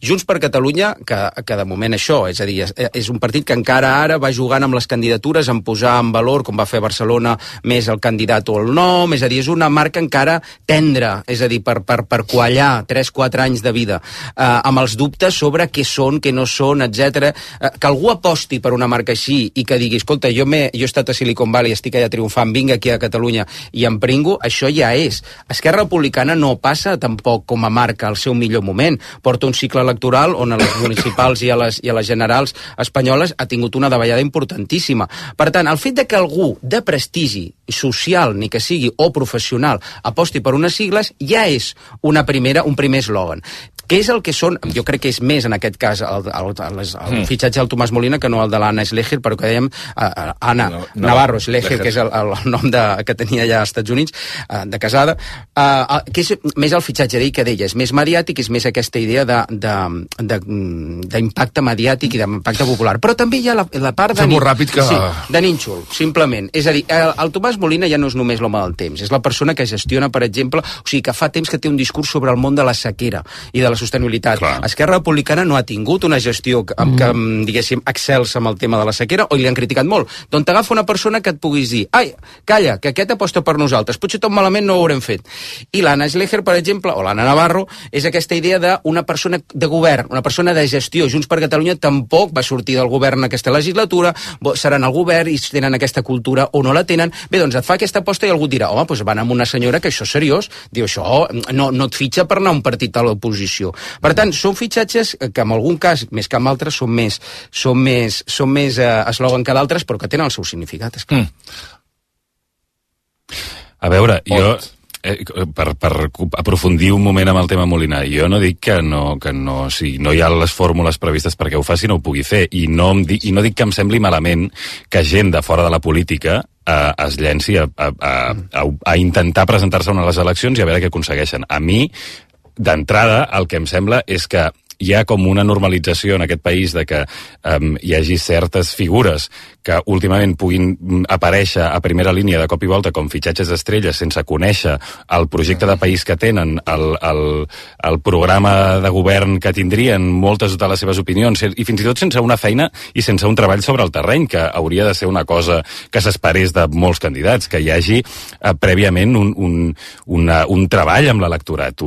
Junts per Catalunya, que de moment això, és a dir, és un partit que encara ara va jugant amb les candidatures, en posar en valor, com va fer Barcelona, més el candidat o el nom, és a dir, és una marca encara tendra, és a dir, per quallar 3-4 anys de vida, amb els dubtes sobre què són, què no són, etc. Que algú aposti per una marca així i que digui, escolta, jo he estat a Silicon Valley, estic allà triomfant, vinc aquí a Catalunya i em pringo, això ja és. Esquerra Republicana no passa tampoc com a marca al seu millor moment. Porta un cicle electoral on a les municipals i a les generals espanyoles ha tingut una davallada importantíssima. Per tant, el fet de que algú de prestigi social, ni que sigui, o professional, aposti per unes sigles, ja és un primer eslògan. Què és el que són? Jo crec que és més, en aquest cas, el fitxatge del Tomàs Molina que no el de l'Anna Schlecher, però que dèiem Anna Navarro Schlecher, que és el nom que tenia ja als Estats Units, de casada, que és més el fitxatge d'ell que d'ella. És més mediàtic, és més aquesta idea d'impacte mediàtic i d'impacte popular. Però també hi ha la part de nínxol, simplement. És a dir, el Tomàs Molina ja no és només l'home del temps, és la persona que gestiona, per exemple, o sigui, que fa temps que té un discurs sobre el món de la sequera i de la sostenibilitat. Clar. Esquerra Republicana no ha tingut una gestió que diguéssim, excelsa amb el tema de la sequera, o li han criticat molt. Doncs t'agafa una persona que et puguis dir, ai, calla, que aquest aposta per nosaltres, potser tot malament no ho haurem fet. I l'Anna Schlecher, per exemple, o l'Anna Navarro, és aquesta idea d'una persona de govern, una persona de gestió. Junts per Catalunya tampoc va sortir del govern aquesta legislatura, seran al govern i tenen aquesta cultura o no la tenen. Bé, doncs et fa aquesta aposta i algú dirà, home, doncs van amb una senyora que això és seriós. Diu, això no et fitxa per anar a un partit a l'oposició. Per tant, són fitxatges que en algun cas, més que en altres, són més eslògan que d'altres, però que tenen el seu significat, esclar. A veure, jo, per aprofundir un moment amb el tema Molina, jo no dic que no hi ha les fórmules previstes perquè ho faci, no ho pugui fer, i no dic que em sembli malament que gent de fora de la política es llenci a intentar presentar-se a les eleccions i a veure què aconsegueixen. A mi, d'entrada, el que em sembla és que hi ha com una normalització en aquest país de que hi hagi certes figures que últimament puguin aparèixer a primera línia de cop i volta com fitxatges d'estrelles sense conèixer el projecte de país que tenen, el programa de govern que tindrien, moltes de les seves opinions, i fins i tot sense una feina i sense un treball sobre el terreny, que hauria de ser una cosa que s'esperés de molts candidats, que hi hagi prèviament un treball amb l'electorat,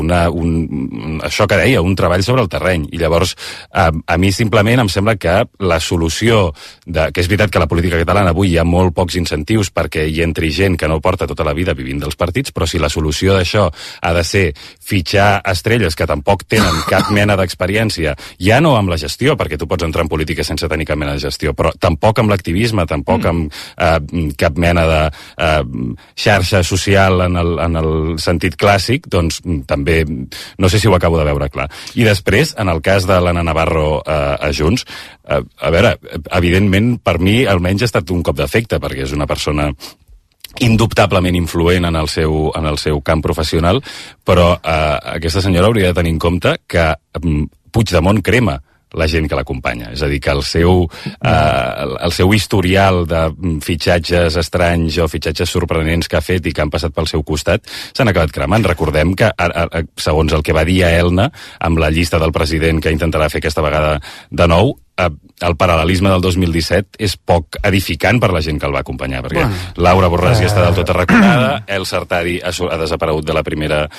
això que deia, un treball sobre el terreny. I llavors, a mi simplement em sembla que la solució, que és veritat que la política catalana avui hi ha molt pocs incentius perquè hi entri gent que no porta tota la vida vivint dels partits, però si la solució d'això ha de ser fitxar estrelles que tampoc tenen cap mena d'experiència, ja no amb la gestió, perquè tu pots entrar en política sense tenir cap mena de gestió, però tampoc amb l'activisme, tampoc amb cap mena de xarxa social en el sentit clàssic, doncs també no sé si ho acabo de veure clar. I després, en el cas de l'Anna Navarro a Junts, a veure, evidentment, per mi almenys ha estat un cop d'efecte, perquè és una persona indubtablement influent en el seu camp professional, però aquesta senyora hauria de tenir en compte que Puigdemont crema la gent que l'acompanya. És a dir, que el seu historial de fitxatges estranys o fitxatges sorprenents que ha fet i que han passat pel seu costat s'han acabat cremant. Recordem que, segons el que va dir a Elna, amb la llista del president que intentarà fer aquesta vegada de nou, el paral·lelisme del 2017 és poc edificant per la gent que el va acompanyar, perquè Laura Borràs ja està del tot arraconada, El Sartadi ha desaparegut de la primera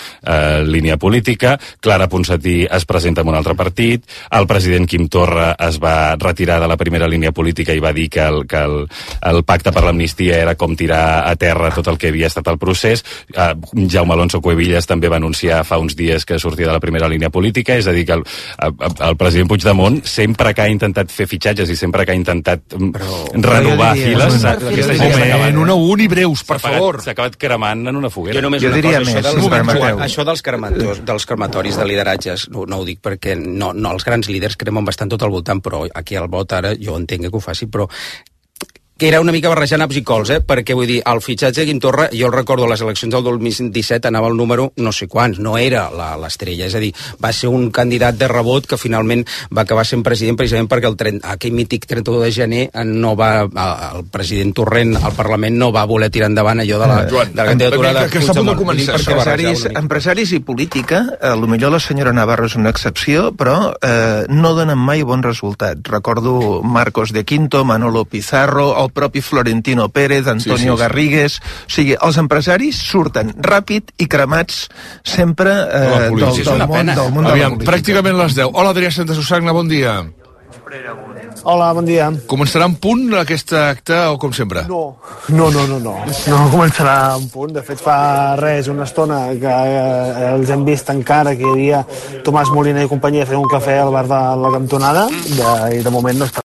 línia política, Clara Ponsatí es presenta en un altre partit, el president Quim Torra es va retirar de la primera línia política i va dir que el pacte per l'amnistia era com tirar a terra tot el que havia estat el procés. Jaume Alonso Cuevillas també va anunciar fa uns dies que sortia de la primera línia política, és a dir, que el president Puigdemont sempre que ha intentat fer fitxatges i sempre que ha intentat renovar files... Un i breus, per favor. S'ha acabat cremant en una foguera. Jo només una cosa, això dels crematoris de lideratges, no ho dic perquè els grans líders cremen bastant tot al voltant, però aquí al vot ara jo entenc que ho faci, però que era una mica barrejant naps i cols, perquè vull dir, el fitxatge de Quim Torra, jo el recordo a les eleccions del 2017 anava al número no sé quants, no era l'estrella, és a dir, va ser un candidat de rebot que finalment va acabar sent president precisament perquè aquell mític 31 de gener el president Torrent al Parlament no va voler tirar endavant allò de la candidatura de Puigdemont. Empresaris i política, potser la senyora Navarro és una excepció, però no donen mai bon resultat. Recordo Marcos de Quinto, Manolo Pizarro, el propi Florentino Pérez, Antonio Garrigues... O sigui, els empresaris surten ràpid i cremats sempre del món de la política. Pràcticament les 10. Hola, Adrià Santa Susagna, bon dia. Hola, bon dia. Començarà en punt aquest acte o com sempre? No començarà en punt. De fet, fa una estona que els hem vist encara que hi havia Tomàs Molina i companyia fent un cafè al bar de la cantonada i de moment no està